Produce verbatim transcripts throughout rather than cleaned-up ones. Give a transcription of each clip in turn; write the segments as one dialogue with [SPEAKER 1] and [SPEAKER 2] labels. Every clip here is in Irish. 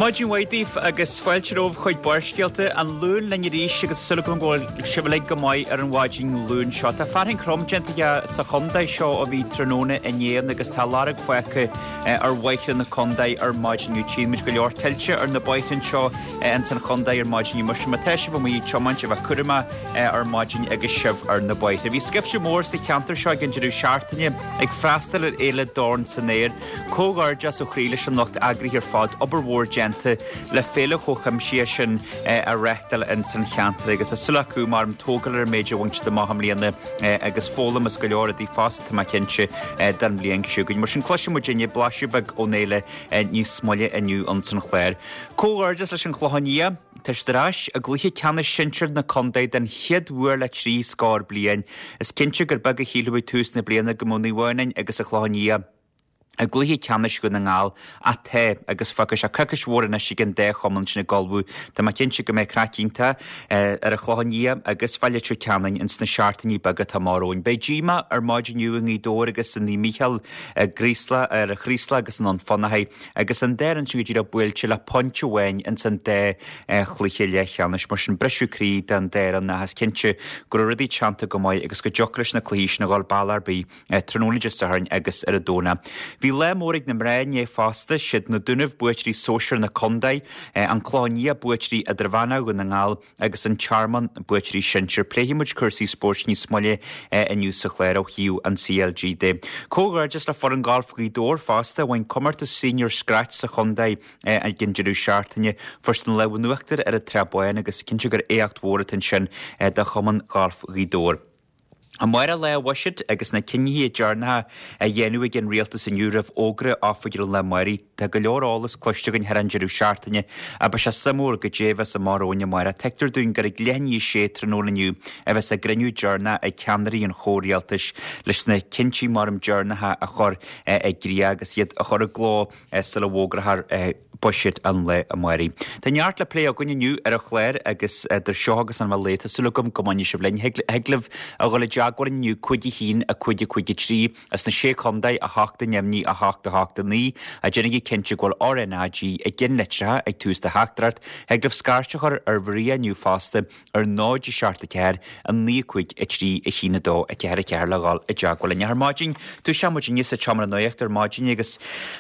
[SPEAKER 1] Maidin mhaith daoibh agus fáilte romhaibh chuig Barrscéalta an Luan linn arís agus súil agam go bhfuil sibh uilig go maith ar an mhaidin Luain seo. Tá fearthainn throm déanta sa chontae seo ó bhí tráthnóna inné agus tá lorg fágtha ar bhóithre na contae ar maidin inniu. Tchíonn muid go leor tuilte ar na bóithre seo ins an chontae ar maidin mar sin má tá sibh amuigh ag tiomáint a bheith cúramach ar maidin agus sibh ar na bóithre. Bhí scaifte mór sa cheantar seo ag an deireadh seachtaine ag freastal ar fhéile Dorn san Aer. Comhghairdeas ó chroí leis an lucht eagraithe ar fad obair mhór déanta le féile chomh cuimsitheach sin a reáchtáil ins an cheantar agus tá súil acu mar tógáil ar an méid a bhain siad amach i mbliana agus foghlaim is go leor rudaí fosta tá mé cinnte don bhliain seo chugainn. Mar sin cloisfidh muidinne blaiseadh beag ón fhéile níos moille inniu ins an chlár. Comhghairdeas leis an Chlochán Liath, Tá siad ar ais i gcluiche ceannais sinsir na contae den chéad uair le trí scór bliain. Is cinnte gur beag a shílfeadh ag tús na bliana go mbeadh Naomh Adhamhnáin agus an Clochán Liath i gcluiche ceannais Dhún na nGall ach tá agus fágfaidh sé coicís mhór anois ag an dá chumann sin ag ullmhú. Tá mé cinnte go mbeidh craic iontach ar an Chlochán Liath agus Bhaile Leitir Ceanainn ins na seachtainí beaga atá amach romhainn. Beidh díomá ar maidin inniu i nGaoth Dobhair agus i Naomh Mícheál i gCraoslach ar an Chraoslach agus in Ann Fionnachaidh agus an dá fhoireann sin go díreach buailte le pointe amháin ins an dá chluiche leathcheannais mar sin briseadh croí don dá fhoireann ach is cinnte go raibh rudaí teannta go maith agus go dtiocfadh leis na cluichí sin a dhul bealach ar bith tráthnóna Dé Sathairn agus ar an Domhnach. Bhí lá mór ag na mná inné fosta, siad na Dúnaibh buaiteoirí sóisir na contae, an Clochán Liath buaiteoirí idirmheánach Dhún na nGall agus an Tearmann buaiteoirí sinsir. Pléifidh muid cúrsaí spóirt níos moille inniu sa chlár ó thaobh an CLG de. Comhghairdeas le foireann galf Ghaoth Dobhair fosta bhain comórtas senior scratch sa chontae ag an deireadh seachtaine. Fuair siad an lámh in uachtar ar an Tsrath Báin agus cinnte gur éacht mhór atá ansin do chumann galf Ghaoth Dobhair. Amárach lá an bhuiséid agus na cinntí deireanacha a dhéanamh ag an rialtas inniu roimh fhógra oifigiúil an lae amárach. Tá go leor eolas cloiste againn thar an deireadh seachtaine ach beidh sé suimiúil goidé a bheas amach romhainn amárach. Tuigtear dúinn gur ag leath i ndiaidh a sé tráthnóna inniu a bheas a gcruinniú deireanach ag ceannairí an chomhrialtais leis na cinntí maram deireanacha a chur i gcrích agus iad a chur i gcló sula bhfógrófar buiséad an lae amárach. Tá neart le plé againn inniu ar an chlár agus idir seo agus an lae tá súil agam go mbainfidh sibh linn thig libh a dhul i dteagmháil inniu cúig a haon a cúig a cúig a trí as na sé chontae a hocht a neamhní a hocht a hocht a naoi a déanaigí cinnte go bhfuil RNAG i gceannlitreacha ag tús do theachtaireacht thig libh scairt a chur ar Mharia inniu fosta ar náid a seacht a ceathair a naoi cúig a trí a haon a dó a ceathair a ceathair le dhul i dteagmháil linn. Ar maidin tosaíonn muid inniu sa tseomra nuachta ar maidin agus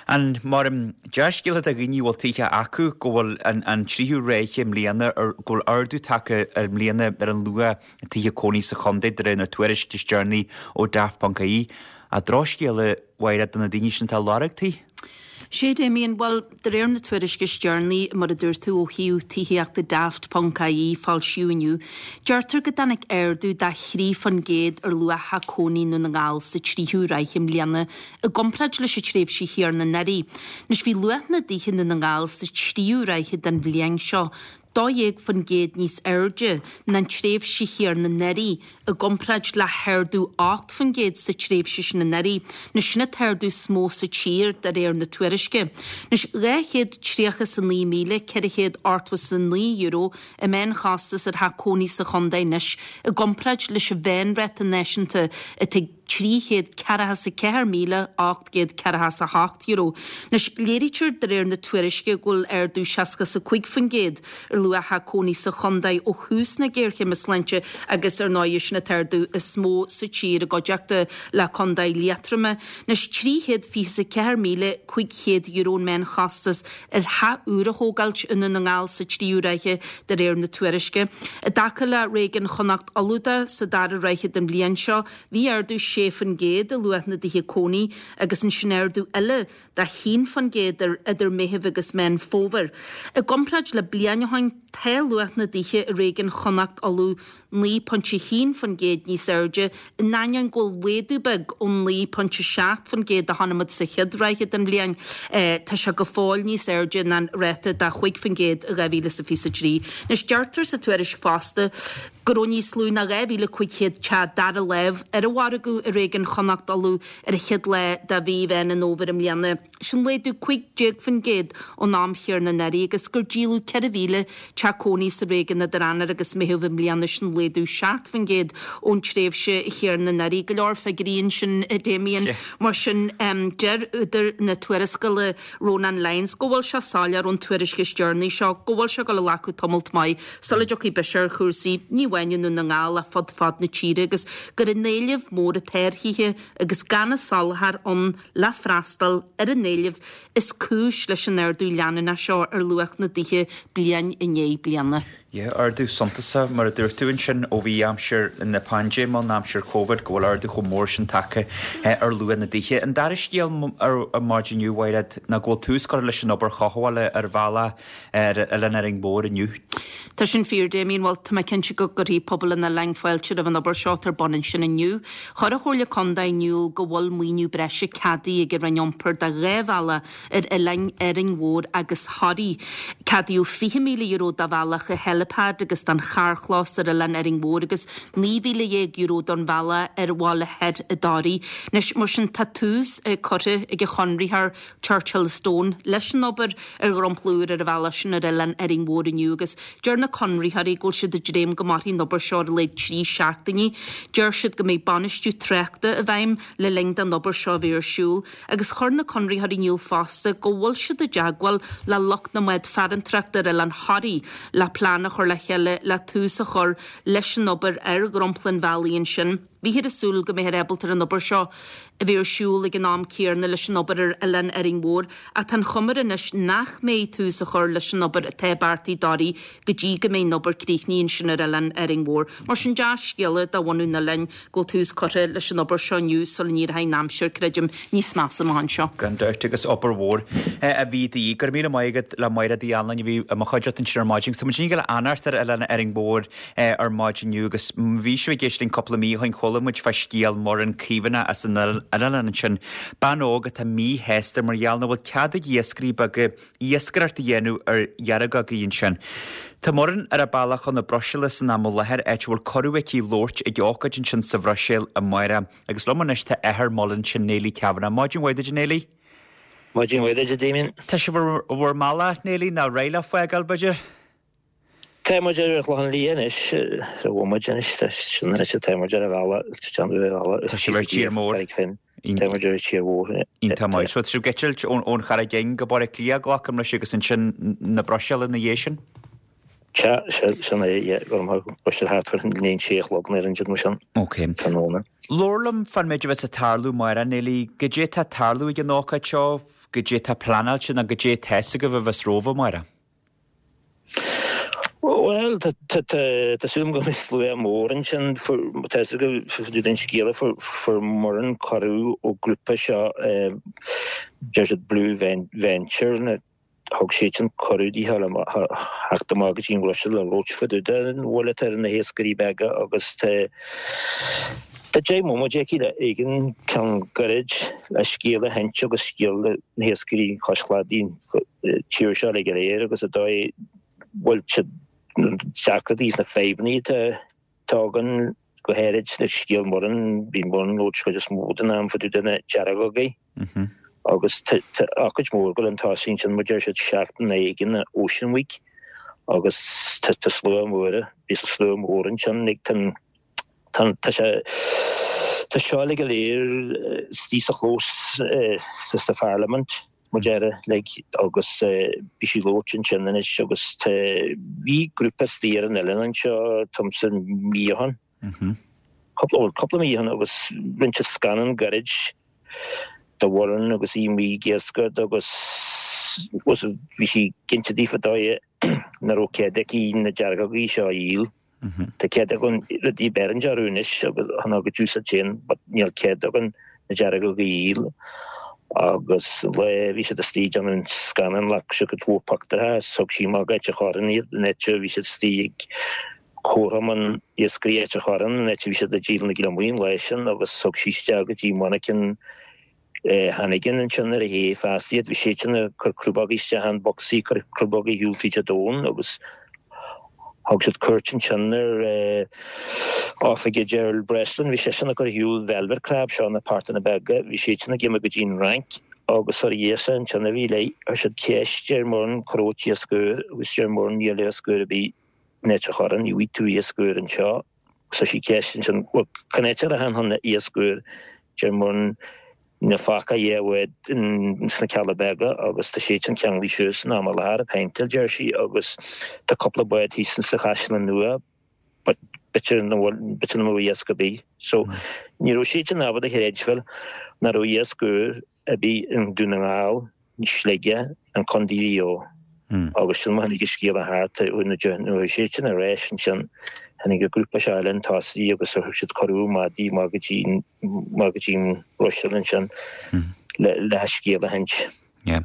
[SPEAKER 1] an mar dea-scéala do dhaoine bhfuil tithe acu go bhfuil an, an tríú ráithe i mbliana ar go bhfuil ardú tagtha ar mbliana ar an luach tithe cónaí sa chontae de réir na tuairisce is deireanaí ó Daft.ie. A drochscéala mhaith do na daoine sin atá ag lorg tí.
[SPEAKER 2] Sé Damien, well de réir na tuairisce is deireanaí mar a dúirt tú ó thaobh tithíochta Daft.ie foilsíodh inniu. Deirtear go dtáinig ardú de thrí faoin gcéad ar luach cónaí i nDún na nGall sa tríú ráithe i mbliana i gcomparáid leis an tréimhse chéanna anuraidh. Anois bhí luach na dtithe i nDún na nGall sa tríú ráithe den bhliain seo dó dhéag faoin gcéad níos airde ná an tréimhse chéanna anuraidh i gcomparáid le hardú ocht faoin gcéad sa tréimhse sin anuraidh, anois sin an t-ardú is mó sa tír de réir na tuairisce. Anois dhá chéad tríocha is a naoi míle ceithre chéad ochtó is a naoi euro an meánchostas ar theach cónaí sa chontae anois i gcomparáid leis an mheánráta náisiúnta atá trí chéad ceathracha is a ceathair míle ocht gcéad ceathracha is a hocht euro. Anois léirítear de réir na tuairisce go bhfuil ardú seasca is a cúig faoin gcéad ar luach cónaí sa chontae ó thús na géarchéime sláinte agus ar ndóigh sin an t-ardú is mó sa tír i gcuideachta le contae Liatroma. Anois trí chéad fiche is a ceathair míle cúig chéad euro an meánchostas ar theach úr a thógáilt i nDún na nGall sa tríú ráithe de réir na tuairisce. I dtaca le réigiún Chonnacht Uladh sa dara ráithe den bhliain seo, bhí ardú sé faoin gcéad i luach na dtithe cónaí agus ansin ardú eile de haon faoin gcéad ar idir Meitheamh agus Meán Fómhair. I gcomparáid le bliain ó shin tá luach na dtithe i réigiún Chonnacht Uladh naoi pointe haon faoin gcéad níos airde in ainneoin go bhfuil laghdú beag ón naoi pointe seacht faoin gcéad a chonaic muid sa chéad ráithe den bhliain. Tá sé go fóill níos airde ná an ráta de chúig faoin gcéad i dhá mhíle is a fiche a trí. Anois deirtear sa tuairisc fosta go raibh níos lú ná dhá mhíle cúig chéad teach dara lámh ar an mhargadh i réigiún Chonnacht Uladh ar an chéad lá de mhí Mheán an Fhómhair i mbliana. Sin laghdú cúig déag faoin gcéad ón am chéanna anuraidh agus gur díoladh ceithre mhíle teach cónaí sa réigiún idir Eanáir agus Meitheamh i mbliana, sin laghdú seacht faoin gcéad ón tréimhse chéanna anuraidh. Go leor figiúirí ansin, a Damien. Mar sin, deir údar na tuarascála, Rónán Lyons, go bhfuil sé soiléir ón tuairisc is deireanaí seo go bhfuil sé ag dul a ghlacadh tamalt maith sula dtiocfaidh biseach ar chúrsaí, ní amháin i nDún na nGall ach fud fad na tíre agus gur an éileamh mór atá ar thithe agus gan an soláthar ann le freastal ar an éileamh is cúis leis an ardú leanúnach seo ar luach na dtithe bliain i ndiaidh bliana.
[SPEAKER 1] Yeah, ardú suntasach, mar a dúirt tú ansin, ó bhí aimsir na paindéime ann, aimsir Covid, go bhfuil ardú chomh mór sin tagtha ar luach na dtithe. An dara scéal ar maidin inniu, Mhairéad, ná go bhfuil tús curtha leis an obair chothabhála ar bhealach ar Oileán Árainn Mhór inniu.
[SPEAKER 2] Tá sin fíor, Damien. Bhuel, tá mé cinnte go gcuirfidh pobal an oileáin fáilte roimh an obair seo atá ar bun ansin inniu. Chuir an Chomhairle Contae in iúl go bhfuil maoiniú breise ceadaithe ag an Roinn Iompair do dhá bhealach ar oileáin Árainn Mhór agus Thoraí. Ceadaíodh fiche míle euro do bhealach an Helipad agus don charrchlós ar oileán Árainn Mhór agus naoi mhíle dhéag euro don bhealach ar Bhaile Thoir i dToraí. Anois, mar sin, tá tús curtha ag an chonraitheoir Churchill Stone leis an obair ar dhromchla úr ar an bhealach sin ar oileán Árainn Mhór inniu agus deir na conraitheoirí go bhfuil siad ag dréim go mairfidh an obair seo ar a laghad trí seachtainí. Deir siad go mbeidh bainistiú tráchta i bhfeidhm le linn don obair seo a bheith ar siúl agus chuir na conraitheoirí in iúl fosta go bhfuil siad i dteagmháil le lucht na mbád farantóireachta ar oileán Thoraí le plean a chur le chéile le tús a chur leis an obair ar dhromchla an bhealaigh ansin. Bhíthear ag súil go mbeifear ábalta ar an obair seo a bheith ar siúl ag an am céanna leis an obair ar Oileán Árainn Mhór ach tá an chuma air anois nach mbeidh tús á chur leis an obair atá beartaithe i dToraí go dtí go mbeidh an obair críochnaithe ansin ar Oileán Árainn Mhór. Mar sin dea-scéala do bhunadh an oileáin go bhfuil tús curtha leis an obair seo inniu sula n-éireoidh an aimsir, creidim, níos measa amach anseo.
[SPEAKER 1] Gan dabht agus obair mhór a bhí de dhíth. Go raibh míle maith agat le Máire Uí Anluain a bhí i mo chuideachta ansin ar maidin. Tá muid ag dul a fhanacht ar Oileán Árainn Mhór ar maidin inniu agus bhí sibh ag éisteacht linn cúpla mí ó shin chuala muid fá scéal Muireann Caomhánach as an oileán ansin, bean óg atá míshásta mar gheall nach bhfuil cead ag iascairí beaga iascaireacht a dhéanamh ar dheargagaí ansin. Tá Muireann ar a bealach chun na Bruiséile san am i láthair, áit a bhfuil cuireadh aici labhairt ag ócáid ansin sa Bhruiséil amárach. Agus liom anois tá athair Muireann, sin Neilí Kavanagh. Maidin mhaith duit, a Neilí.
[SPEAKER 3] Maidin mhaith duit, a Damien.
[SPEAKER 1] Tá sibh ar bhur mbealach, Neilí, nó réidh le fágáil, b'fhéidir?
[SPEAKER 3] Tá muid ar an Chlochán Liath anois, ar bhomaite anois, tá sin anois atá muid ar an bhealach, tá ar an bhealach.
[SPEAKER 1] Tá sibh ar tír mór.
[SPEAKER 3] Tá muid ar tír mhór.
[SPEAKER 1] Iontach maith. So tá sibh ag eitilt ón Charraig Fhinn go Baile Átha Cliath, glacaim leis, agus ansin na Bruiséile ina dhiaidh sin?
[SPEAKER 3] Sea, sin é, yeah, go raibh Bruiséil thart fá an sé a chlog nó ar an dtiúd mar sin.
[SPEAKER 1] Ok.
[SPEAKER 3] Tráthnóna.
[SPEAKER 1] Labhair liom fán méid a bheas ag tarlú amárach, Neilí, goidé atá ag tarlú ag an ócáid seo, goidé atá pleanáilte nó goidé atá fhios agaibh a bheas romhaibh amárach?
[SPEAKER 3] Bhuel, tá súil agam go mbeidh slua mór ansin. Tá fhios agaibh den scéala fuair Muireann cuireadh ó grúpa seo, deir siad Blue Venture, thug siad sin cuireadh di le theacht amach go dtí an Bhruiséil le labhairt fá dtaobh den bhuille atá ar na hiascairí beaga agus tá tá deich mbomaite aici le éigin ceann gairid le scéal a sheinnt agus scéal na hiascairí cois cladaigh tír seo uilig go léir agus an dóigh bhfuil siad deacrachtaí is na fadhbanna atá againn go háirid le scéal Muireann, bhí Muireann ag labhairt chuid is mó den am fá dtaobh de na deargagaí agus tá ócáid mór ag dul chun tosaigh ansin mar deir siad seachtain éigin Ocean Week agus tá slua mór, bhí slua mór ansin ag tá tá sé tá seo uilig go léir istigh sa chlós sa Pharlaimint mar deir like agus bhí sí ag labhairt ansin anois agus tá bhí grúpa istigh ar an oileán anseo tomsa mí ó shin. Cúpla cúpla mí ó shin agus rinne siad scannán gairid de Mhuireann agus í amuigh ag iascaireacht agus bhí sí ag inse daofa dóigh nach raibh cead aici na deargagaí seo a dhíol. Tá cead againn rudaí beireann orthu anois agus chun a gcuid úsáid féin but níl cead againn na deargagaí a dhíol. Agus le bhí siad istigh ag déanamh an scannán ghlac siad cuid mhór pictiúrtha is thug sí amach Ailt an Chorráin iad an áit a bhí siad istigh ag Comharchumann Iascairí Ailt an Chorráin an áit a bhí siad ag díol na gliomaigh an lá sin agus thug sí isteach go dtí monarcha Hannigan ansin ar a ché feasta iad. Bhí siad sin ag cur crúbógaí isteach in bocsaí, cur crúbógaí ar shiúl fríd an domhan agus thug siad cuairt ansin ar oifige Gerald Breslin. Bhí seisean ag cur ar shiúl velvet crab, seo na partanna beaga. Bhí siad sin ag imeacht go dtí an Fhrainc Agus ar dhéasa ansin a bhí léi, chuir siad ceist ar Muireann cá raibh iasc úr agus deir Muireann níl iasc úr ar bith in Ailt an Chorráin, ní bhfaighidh tú iasc úr anseo. Agus chuir sí ceist ansin, bhuel cén áit a rachfainn chun iasc úr? Deir Muireann níl fágtha ach dhá bhád sna Cealla Beaga agus tá siad sin ceanglaithe suas in am i láthair ag péinteáil, deir sí, agus tá cúpla bád thíos sa Chaisleán Nua but b'fhéidir nach bhfuil, b'fhéidir nach mbeadh iasc ar bith. So ní raibh siad sin ábalta a chreidbheáil nach raibh iasc úr ar bith i nDún na nGall, Sligeach, an Contae Mhaigh Eo. Agus sin mar tháinig an scéala thart nuair a chuaigh siad sin ar ais ansin tháinig an grúpa seo eile chun tosaigh agus thug siad cuireadh maidí amach go dtí amach go dtí an Bhruiséil ansin le le an scéal a insint.
[SPEAKER 1] Yeah.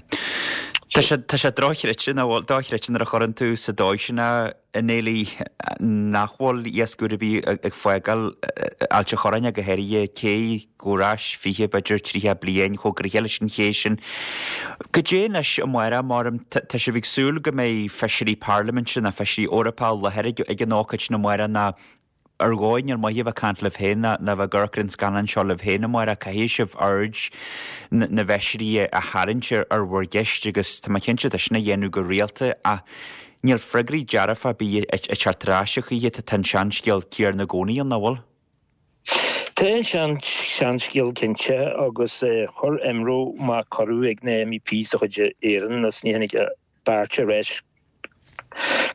[SPEAKER 1] Tá sé tá sé dochreidte nach bhfuil dochreidte nuair a chuireann tú sa dóigh sin é a Néilí nach bhfuil iasc úr ar bith ag fágáil Ailt an Chorráin go háirithe cé go ar ais fiche b'fhéidir tríocha bliain chomh gnoitheach leis an ché sin. Goidé anois amárach mar tá sibh ag súil go mbeidh feisirí parlaiminte nó feisirí Eorpacha i láthair ag an ócáid sin amárach nó ar dhóigh níl maith a bheith ag caint libh féin ná bheith ag amharc ar an scannán seo libh féin amárach caithfidh sibh aird na bhfeisirí a tharraingt ar bhur gceist agus tá mé cinnte tá sin á dhéanamh go rialta ach níl freagraí dearfa ar bith ag teacht ar ais a choíche tá an seanscéal céanna i gcónaí ann, nach bhfuil?
[SPEAKER 3] Tá an seanscéal cinnte agus chuir IMRO amach cuireadh ag na MEPs de chuid Éireann agus ní tháinig beirt ar ais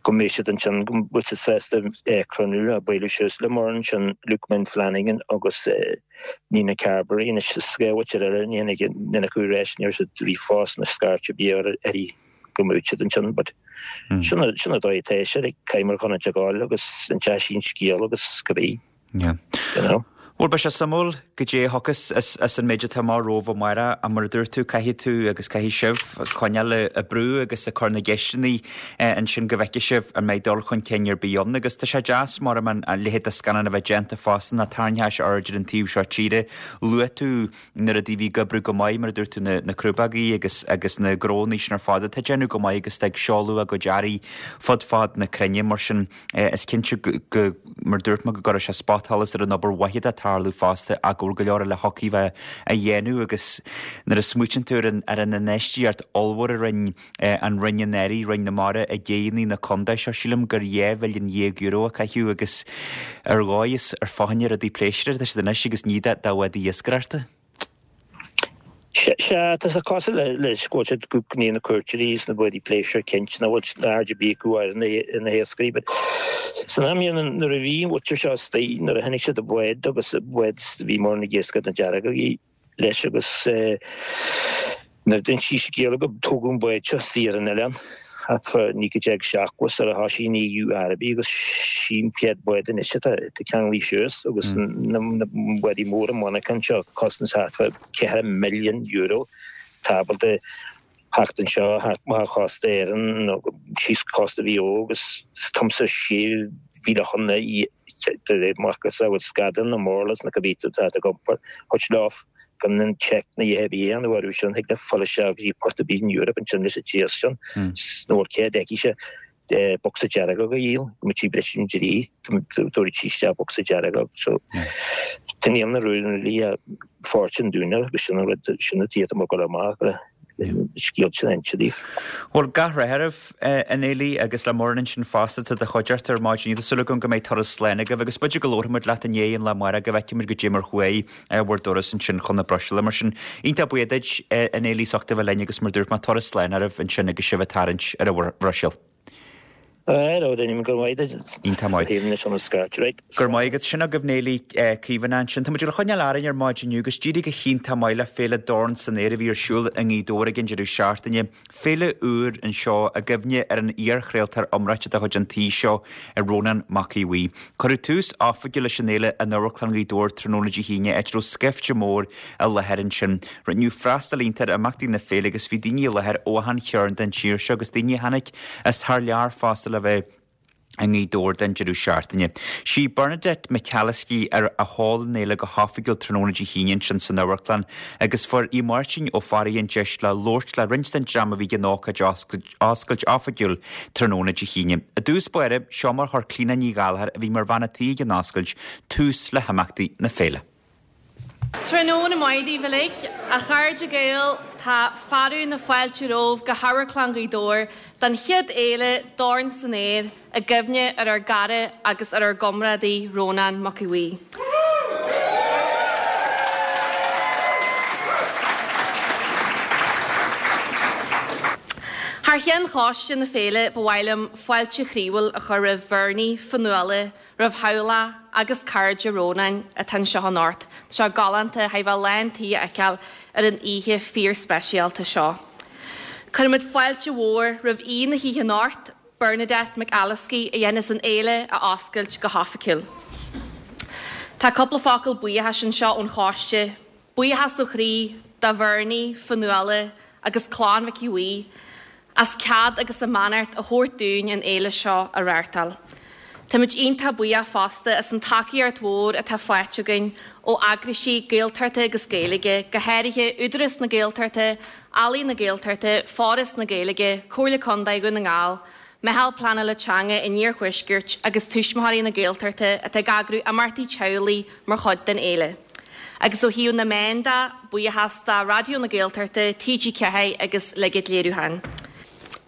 [SPEAKER 3] go mbeidh siad ansin go bhfuil siad sásta cruinniú a bualadh suas le Muireann sin Luke Flanagan agus Nina Carberry anois is dhá mhuintir eile ní tháinig duine acu ar ais ní raibh siad ríomhphost ná scairt ar bith uirthi go mbeadh siad ansin but sin sin an dóigh atá sé like caithfidh muid chun a ghabháil agus an deis an scéal agus cibé.
[SPEAKER 1] Yeah. You know? Bhuel, beidh sé suimiúil goidé a thiocfas as an méid atá amach romhaibh amárach ach mar a dúirt tú, caithfidh tú agus caithfidh sibh coinneáil ag brú agus ag cur na gceisteanna ansin go bhfeicfidh sibh an mbeidh dul chun cinn ar bith ann. Agus tá sé deas mar an leithéid de scannán a bheith déanta fosta ná tarraingteoidh sé aird ar an taobh seo tíre. Luaigh tú na rudaí a bhí ag oibriú go maith, mar a dúirt tú, na crúbógaí agus agus na gnónna sin ar fad atá ag déanamh go maith agus ag seoladh a gcuid earraí fud fad na cruinne. Mar sin, is cinnte go, mar a dúirt mé, go gcuirfidh sé spotsholas ar an obair mhaith atá ag tarlú fosta ach go bhfuil go leor eile thiocfadh bheith a dhéanamh agus nuair a smaoitíonn tú ar an ar an infheistíocht ollmhór a rinne an Roinn anuraidh, Roinn na Mara i gcéanna na contae seo, sílim gur dhá mhilliún dhéag euro a caitheadh agus ar dhóigh is ar fá choinne rudaí pléisiúrtha atá siad anois agus ní do bhádaí iascaireachta.
[SPEAKER 3] Sea, tá sé cosúil le leis go bhfuil siad go gníonn na cuairteoirí is na bádaí pléisiúir cinnte nach bhfuil aird ar bith acu ar na hiascairí but san am chéanna nuair a bhí an mhuintir seo istigh nuair a chonaic siad an bád agus an bád bhí Muireann ag iascach na deargógaí leis agus nuair a d'inis sí scéal go tógadh an bád seo istigh ar an oileán thart fá naoi déag seachtó sar a thosaigh an EU araibí agus sin an chéad bád anois atá ceanglaithe suas agus na bádaí móra monarchan seo costas thart fá ceithre milliún euro tá ábalta theacht anseo thart amach chósta Éireann nó síos cósta Mhaigh Eo agus timpeall sé mhíle chun de réir macasamhail scadán na murlas na cibé atá ag iompar thabhairt leo gan an check na a dhéanamh a dhéanamh orthu sin, thig le fáil isteach go dtí port ar bith in Europe ansin leis an tíos sin nó bhfuil cead aici bocsa dearg a dhíol, go mbeidh sí briseadh an dlí, tabharfaidh sí isteach bocsa dearg so tá níl na rúin uilig fortune dúinne agus sin an rud sin an tír atá ag dul amach le scéal sin a inse daoibh.
[SPEAKER 1] Bhuel, gach rath oraibh, a Néilí, agus le Muireann ansin fosta, tá do chuideachta ar maidin. Tá súil agam go mbeidh turas slán agaibh agus b'fhéidir go labharfaidh muid leat i ndiaidh an lae amárach go bhfeicfidh muid goidé mar chuaigh bhur dturas ansin chun na Bruiséile. Mar sin, iontach buíoch duit, a Néilí, as ucht a bheith linn agus mar dúirt mé, turas slán oraibh ansin agus sibh ag tarraingt ar an Bhruiséil.
[SPEAKER 3] Hello, Damien, go raibh maith agat.
[SPEAKER 1] Iontach maith.
[SPEAKER 3] Thaobh anois an scairt, right.
[SPEAKER 1] Go raibh maith agat. Sin agaibh Néilí Caomhánach ansin. Tá muid ag coinneáil orainn ar maidin inniu agus d'éirigh go hiontach maith le Féile Dorn san Aer a bhí ar siúl i nGaoth Dobhair ag an deireadh seachtaine. Féile úr anseo i gcuimhne ar an iar-chraoltóir iomráiteach de chuid an tí seo, Rónán Mac Aodha Bhuí. Cuireadh tús oifigiúil leis an fhéile in Amharclann Ghaoth Dobhair tráthnóna Dé hAoine, áit a raibh scaifte mór i láthair ansin. Rinneadh freastal iontach ar imeachtaí na féile agus bhí daoine i láthair ó achan chearn den tír seo agus daoine a tháinig as thar lear fosta le bheith i nGaoth Dobhair don deireadh seachtaine. Sí Bernadette McAliskey a sheol an fhéile go hoifigiúil tráthnóna Dé hAoine ansin san amharclann agus fuair Aodh Máirtín Ó Fearraigh an deis le labhairt le roinnt den dream a bhí ag an ócáid oscailt oifigiúil tráthnóna Dé hAoine. I dtús báire, seo mar chuir Clíona Ní Ghallchóir, a bhí mar bhean a' tí ag an oscailt, tús le himeachtaí na féile.
[SPEAKER 4] Tráthnóna maith daoibh uilig, a chairde Gael, Tá fearadh na fáilte romhaibh go hAmharclann Ghaoth Dobhair don chéad fhéile Dorn san Aer i gcuimhne ar ár gcara agus ar ár gcomrádaí Rónán Mac Aodha Bhuí. Thar cheann choiste na féile ba mhaith liom fáilte chroíúil a chur roimh Bhernie, Fionnuala, roimh theaghlach agus cairde Rónáin atá anseo anocht. Tá sé galánta a bheith lán tí a fheiceáil ar an oíche fíorspeisialta seo. Cuirimid fáilte mhór roimh aoi na hoíche anocht, Bernadette McAliskey a dhéanfas an fhéile a oscailt go hoifigiúil. Tá cúpla focal buíochais anseo ón choiste, buíochas ó chroí do Bhernie, Fionnuala agus clann Mhic Aodha Bhuí as cead agus a mbeannacht a thabhairt dúinn an fhéile seo a reáchtáil. Táimid iontach buíoch fosta as an tacaíocht mhór atá faighte againn ó eagraisí Gaeltachta agus Gaeilge, go háirithe Údarás na Gaeltachta, Ealaín na Gaeltachta, Foras na Gaeilge, Comhairle Contae Dhún na nGall, Meitheal Pleanála Teanga an Iarthuaiscirt agus Tuismitheoirí na Gaeltachta atá ag eagrú imeachtaí teaghlaigh mar chuid den fhéile. Agus ó thaobh na meán de, buíochas do Raidió na Gaeltachta, TG Ceathair agus Luigit Léiriúcháin.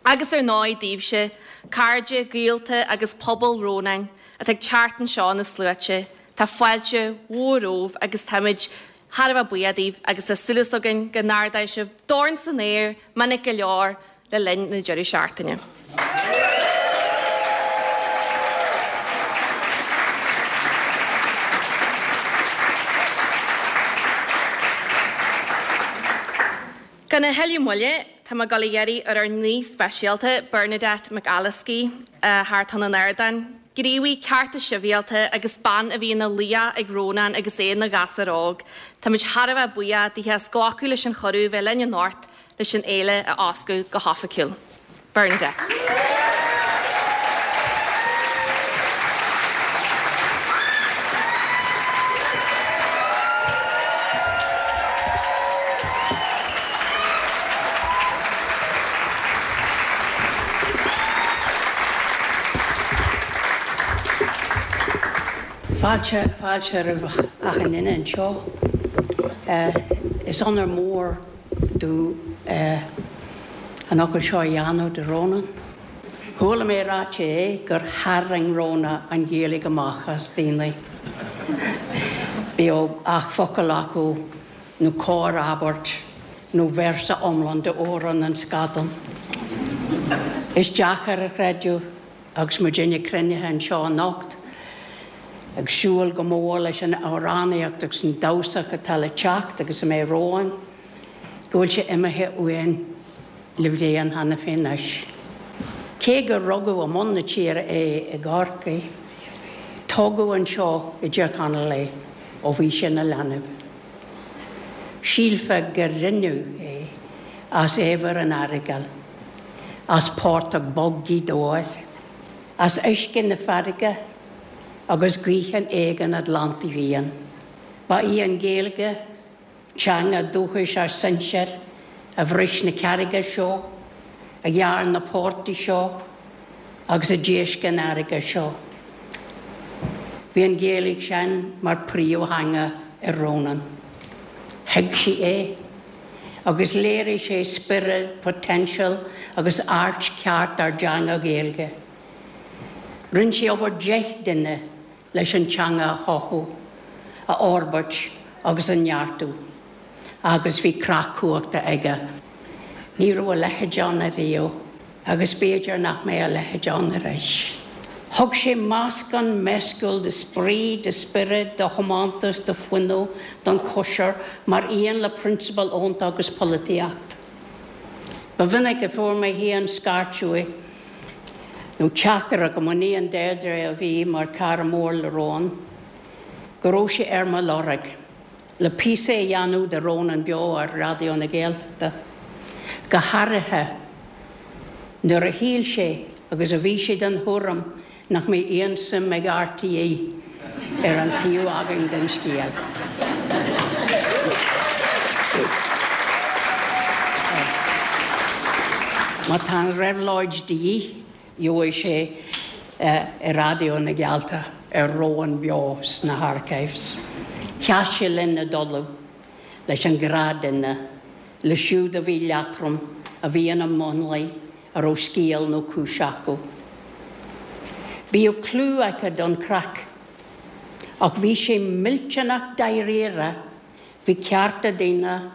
[SPEAKER 4] Agus ar ndóigh daoibhse, cairde, gaolta agus pobal Rónáin atá ag teacht anseo na sluaite, tá fáilte mhór romhaibh agus táimid thar a bheith buíoch daoibh agus tá súil againn go n-ardóidh sibh dorn san aer minic go leor le linn na deireadh seachtaine. Gan a thuilleadh moille, tá mé ag dul a iarraidh ar ár n-aoi speisialta Bernadette McAliskey thart chun an ardáin, gníomhaí cearta sibhialta agus bean a bhí ina laoch ag Rónán agus é ina ghasúr óg. Táimid thar a bheith buíoch daoithe as glacadh leis an chuireadh bheith linn anocht leis an fhéile a oscailt go hoifigiúil. Bernadette.
[SPEAKER 5] Fáilte fáilte roimh achan duine anseo. Is onóir mór domh an ócáid seo a dhéanamh do Rónán. Chuala mé ráite é gur tharraing Rónán an Ghaeilge amach as daoine. Bíodh ach focal acu nó corrabairt nó véarsa iomlán d'Amhrán an Scadán. Is deacair a chreidiúint agus muidinne cruinnithe anseo anocht, ag súil go mór leis an amhránaíocht agus an damhsa atá le teacht agus a mbeidh romhainn, go bhfuil sé imithe uainn le bliain cheana féin anois. Cé gur rugadh i mbun na tíre é i gCorcaigh, tógadh anseo i dTír Chonaill é ó bhí sé ina leanbh. Shílfeá gur rinneadh é as eibhear an Earagail, as portach bog Ghaoth Dobhair, as uisce na farraige agus gaoth an éigin Atlantaigh Fhiáin. Ba í an Ghaeilge, teanga dúchais ár sinsear, a bhris na carraige seo, a ghearr na portaigh seo, agus a d'éascaigh an fharraige seo. Bhí an Ghaeilge sin mar príomhtheanga ag Rónán. Thuig sé é, agus léirigh sé spiorad, potential agus airt ceart ár dteanga Ghaeilge. Rinne sé obair deich duine leis an teanga a chothú, a fhorbairt agus a neartú, agus bhí creach cumhachta aige. Ní raibh a leithéid ann ariamh, agus b'fhéidir nach mbeidh a leithéid ann arís. Thug sé meascán meascúil de spraoi, de spiorad, de thiomantas, de fhuinneamh don chóisir mar aon le prionsabail fhónta agus polaitíocht. Ba mhinic a fuair mé féin scairt uaidh, nó teachtaireacht ó m'iníon Deirdre a bhí mar cara mór le Rónán, go raibh sé ar mo lorg, le píosa a dhéanamh de Rónán Beo ar Raidió na Gaeltachta. Go háirithe nuair a shíl sé agus a bhí sé den thuairim nach mbeidh aon suim ag RTÉ ar an taobh againn den scéal. Má tá an réabhlóid de dhíth, gheobhaidh sé i Raidió na Gaeltachta ar Rónán Beo sna archives. Sheas sé linn i dTulamh leis an ghnáthduine, leo siúd a bhí leatrom, a bhí ina mionlaigh, a raibh scéal nó cúis acu. Bhíodh clú aige don chraic, ach bhí sé millteanach dáiríre faoi chearta daoine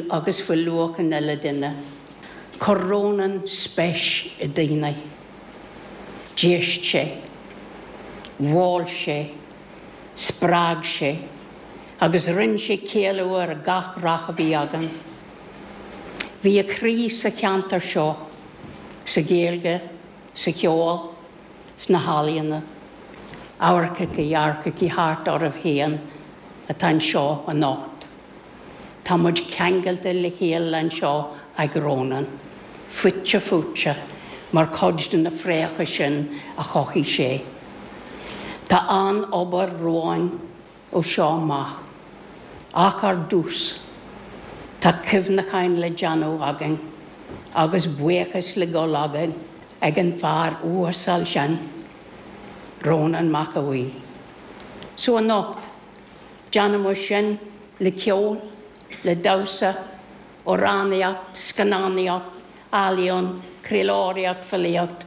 [SPEAKER 5] agus faoi luach an uile duine. Chuir Rónán spéis i ndaoine. D'éist sé. Mhol sé. Spreag sé. Agus rinne sé ceiliúradh ar gach rath a bhí againn. Bhí a chroí sa cheantar seo, sa Ghaeilge, sa cheol, sna healaíona. Amharcaigí, amharcaigí thart oraibh féin atá anseo anocht. Tá muid ceangailte le chéile anseo ag Rónán, fite fuaite mar chuid de na fréamhacha sin a chothaigh sé. Tá an-obair romhainn ó seo amach, ach ar dtús, tá cuimhneacháin le déanamh againn agus buíochas le dul againn ag an bhfear uasal sin, Rónán Mac Aodha Bhuí. So anocht, déanfaidh sin le ceol, le damhsa, amhránaíocht, scannánaíocht, ealaíon, craoltóireacht, filíocht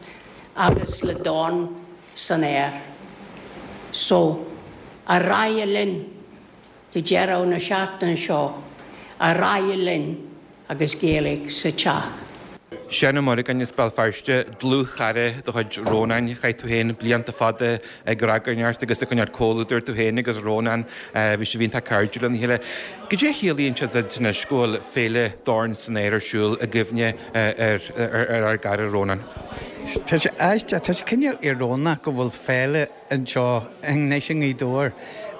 [SPEAKER 5] agus le dorn san aer. So, ar aghaidh linn go deireadh na seachtaine seo, ar aghaidh linn agus Gaeilge sa teach.
[SPEAKER 6] Seán Ó Muireagáin as Béal Feirste, dlúthchara de chuid Rónáin, chaith tú féin blianta fada ag ragairneacht agus ag coinneáil comhluadar tú féin agus Rónán, bhí sibh iontach cairdiúil lena chéile. Cad é a chiallaíonn sé duit anois go bhfuil Féile Dorn san Aer ar siúl i gcuimhne ar ár gcara Rónán?
[SPEAKER 7] Tá sé aisteach, tá sé cineál íorónach go bhfuil féile anseo anois i nGaoth Dobhair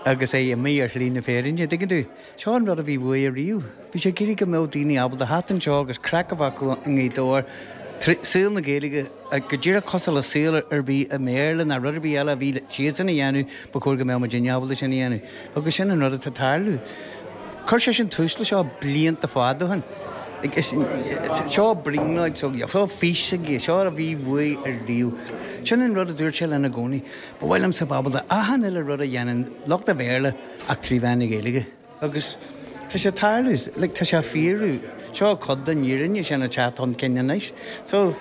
[SPEAKER 7] agus é imithe ar shlí na fírinne, dtuigeann tú? Seo an rud a bhí uaidh riamh. Bhí sé ag iarraidh go mbeadh daoine ábalta theacht anseo agus craic a bheith acu i nGaoth Dobhair, saol na Gaeilge go díreach cosúil le saol ar bith i mBéarla ná rud ar bith eile a bhí siadsan a dhéanamh, ba chóir go mbeadh muidinne ábalta sin a dhéanamh. Agus sin an rud atá ag tarlú. Chuir sé sin tús le seo blianta fada ó shin. Seo brionglóid seo fís aige, seo a bhí uaidh riamh. Sin an rud a dúirt sé linn i gcónaí. Ba mhaith liomsa bheith ábalta achan uile rud a dhéanann lucht an Bhéarla ach trí mheán na Gaeilge. Agus tá sé tarlú, like, tá sé fíorú. Seo cuid den fhírinne sin ag teacht chun cinn anois. So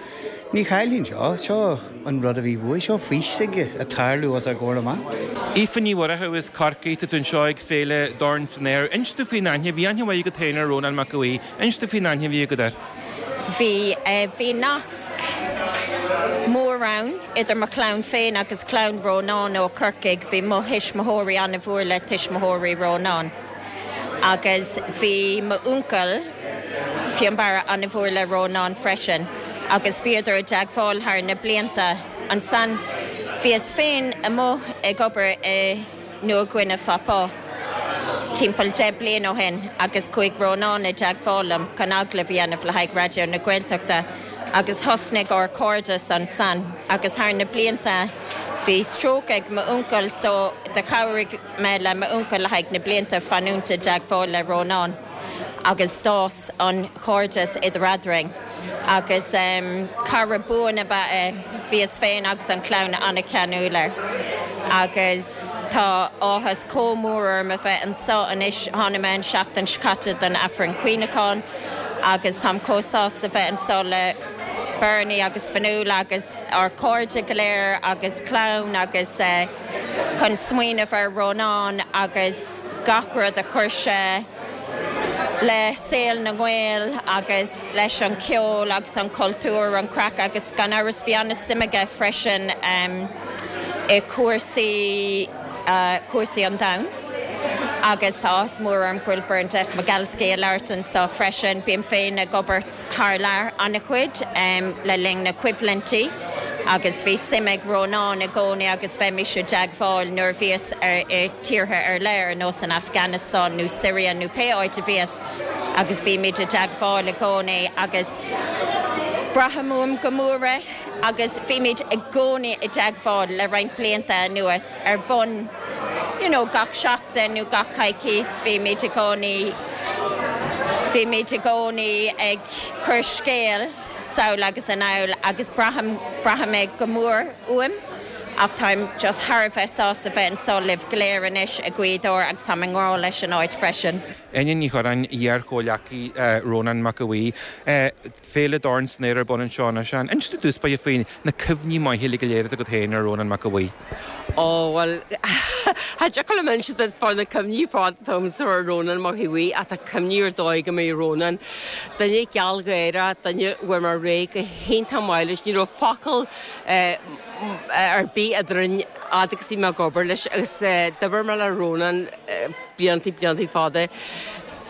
[SPEAKER 7] ní chaillfinn seo, seo an rud a bhí uaidh, seo fís aige ag tarlú os ár gcomhair amach.
[SPEAKER 6] Aoife Ní Mhuireadhaigh as Corcaigh, tá tú anseo ag Féile Dorn san Aer. Inis domh faoin aithne, bhí aithne mhaith agat féin ar Rónán Mac Aodha Bhuí. Inis domh faoin aithne a bhí agat air.
[SPEAKER 8] Bhí bhí nasc mór ann idir mo chlann féin agus clann Rónán ó Corcaigh, bhí mo thuismitheoirí an-mhór le tuismitheoirí Rónán. Agus bhí m'uncail Fionnbarra an-mhór le Rónán freisin, agus bhíodar i dteagmháil thar na blianta. Ansan bhíos féin amuigh ag obair i Nua Guine Phapua timpeall deich bliain ó shin agus chuaigh Rónán i dteagmháil liom chun agallamh a dhéanamh le haghaidh Raidió na Gaeltachta agus thosnaigh ár cairdeas ansan agus thar na blianta bhí stróc ag m'uncail so do chabhraigh mé le m'uncail le haghaidh na blianta fanúint i dteagmháil le Rónán agus d'fhás an chairdeas idir eadrainn agus um, cara buan ab ea é bhíos féin agus an chlann an-cheanúil air. Agus tá áthas chomh mór orm a bheith anseo anois tháinig mé an seachtain seo caite don Aifreann Cuimhneacháin agus táim chomh sásta bheith anseo le Bernie agus Fionnuala agus ár cairde go léir agus clann agus uh, chun smaoineamh ar Rónán agus gach rud a chuir sé le saol na nGael agus leis an ceol agus an cultúr an craic agus gan amhras bhí an-suim aige freisin um, i cúrsaí uh, cúrsaí an domhain. Agus tá mór an bhfuil Bernadette McAliskey ag labhairt anseo freisin bím féin ag obair thar lear an-chuid um, le linn na coimhlintí. agus bhí suim ag Rónán i gcónaí agus bhímis i dteagmháil nuair bhíos ar i tíortha ar leir nó san Afghanistan nó Syria nó pé áit a bhíos agus bhímid i dteagmháil i gcónaí agus braithim uaim go mór é agus bhímid i gcónaí i dteagmháil le roinnt blianta anuas ar bhonn you know, gach seachtain nó gach coicís bhímid i gcónaí bhímid i gcónaí ag cur scéal sall agus anall agus braithim braithim é go mór uaim Ach táim just thar a bheith sásta bheith anseo libh go léir anois i Gaoth Dobhair agus táim i ngrá leis an áit freisin.
[SPEAKER 6] Áine Ní Churráin, iar-chomhleacaí Rónán Mac Aodha Bhuí, Féile Dorn san Aer ar bun anseo anois. Inis i dtús báire faoi na cuimhní maithe uilig go léir atá agat féin ar Rónán Mac Aodha Bhuí.
[SPEAKER 9] Ó bhuel cha dtiocfadh liom inse duit fá na cuimhní ar fad atá agamsa ar Rónán Mac Aodha Bhuí ach tá cuimhní ar dóigh agam ar Rónán. Duine gealgháireach, duine a bhfuair mé réidh go hiontach maith leis, ní raibh focal ar bith eadrainn fhad agus bhí mé ag obair leis agus d'oibir mé le Rónán blianta blianta fada.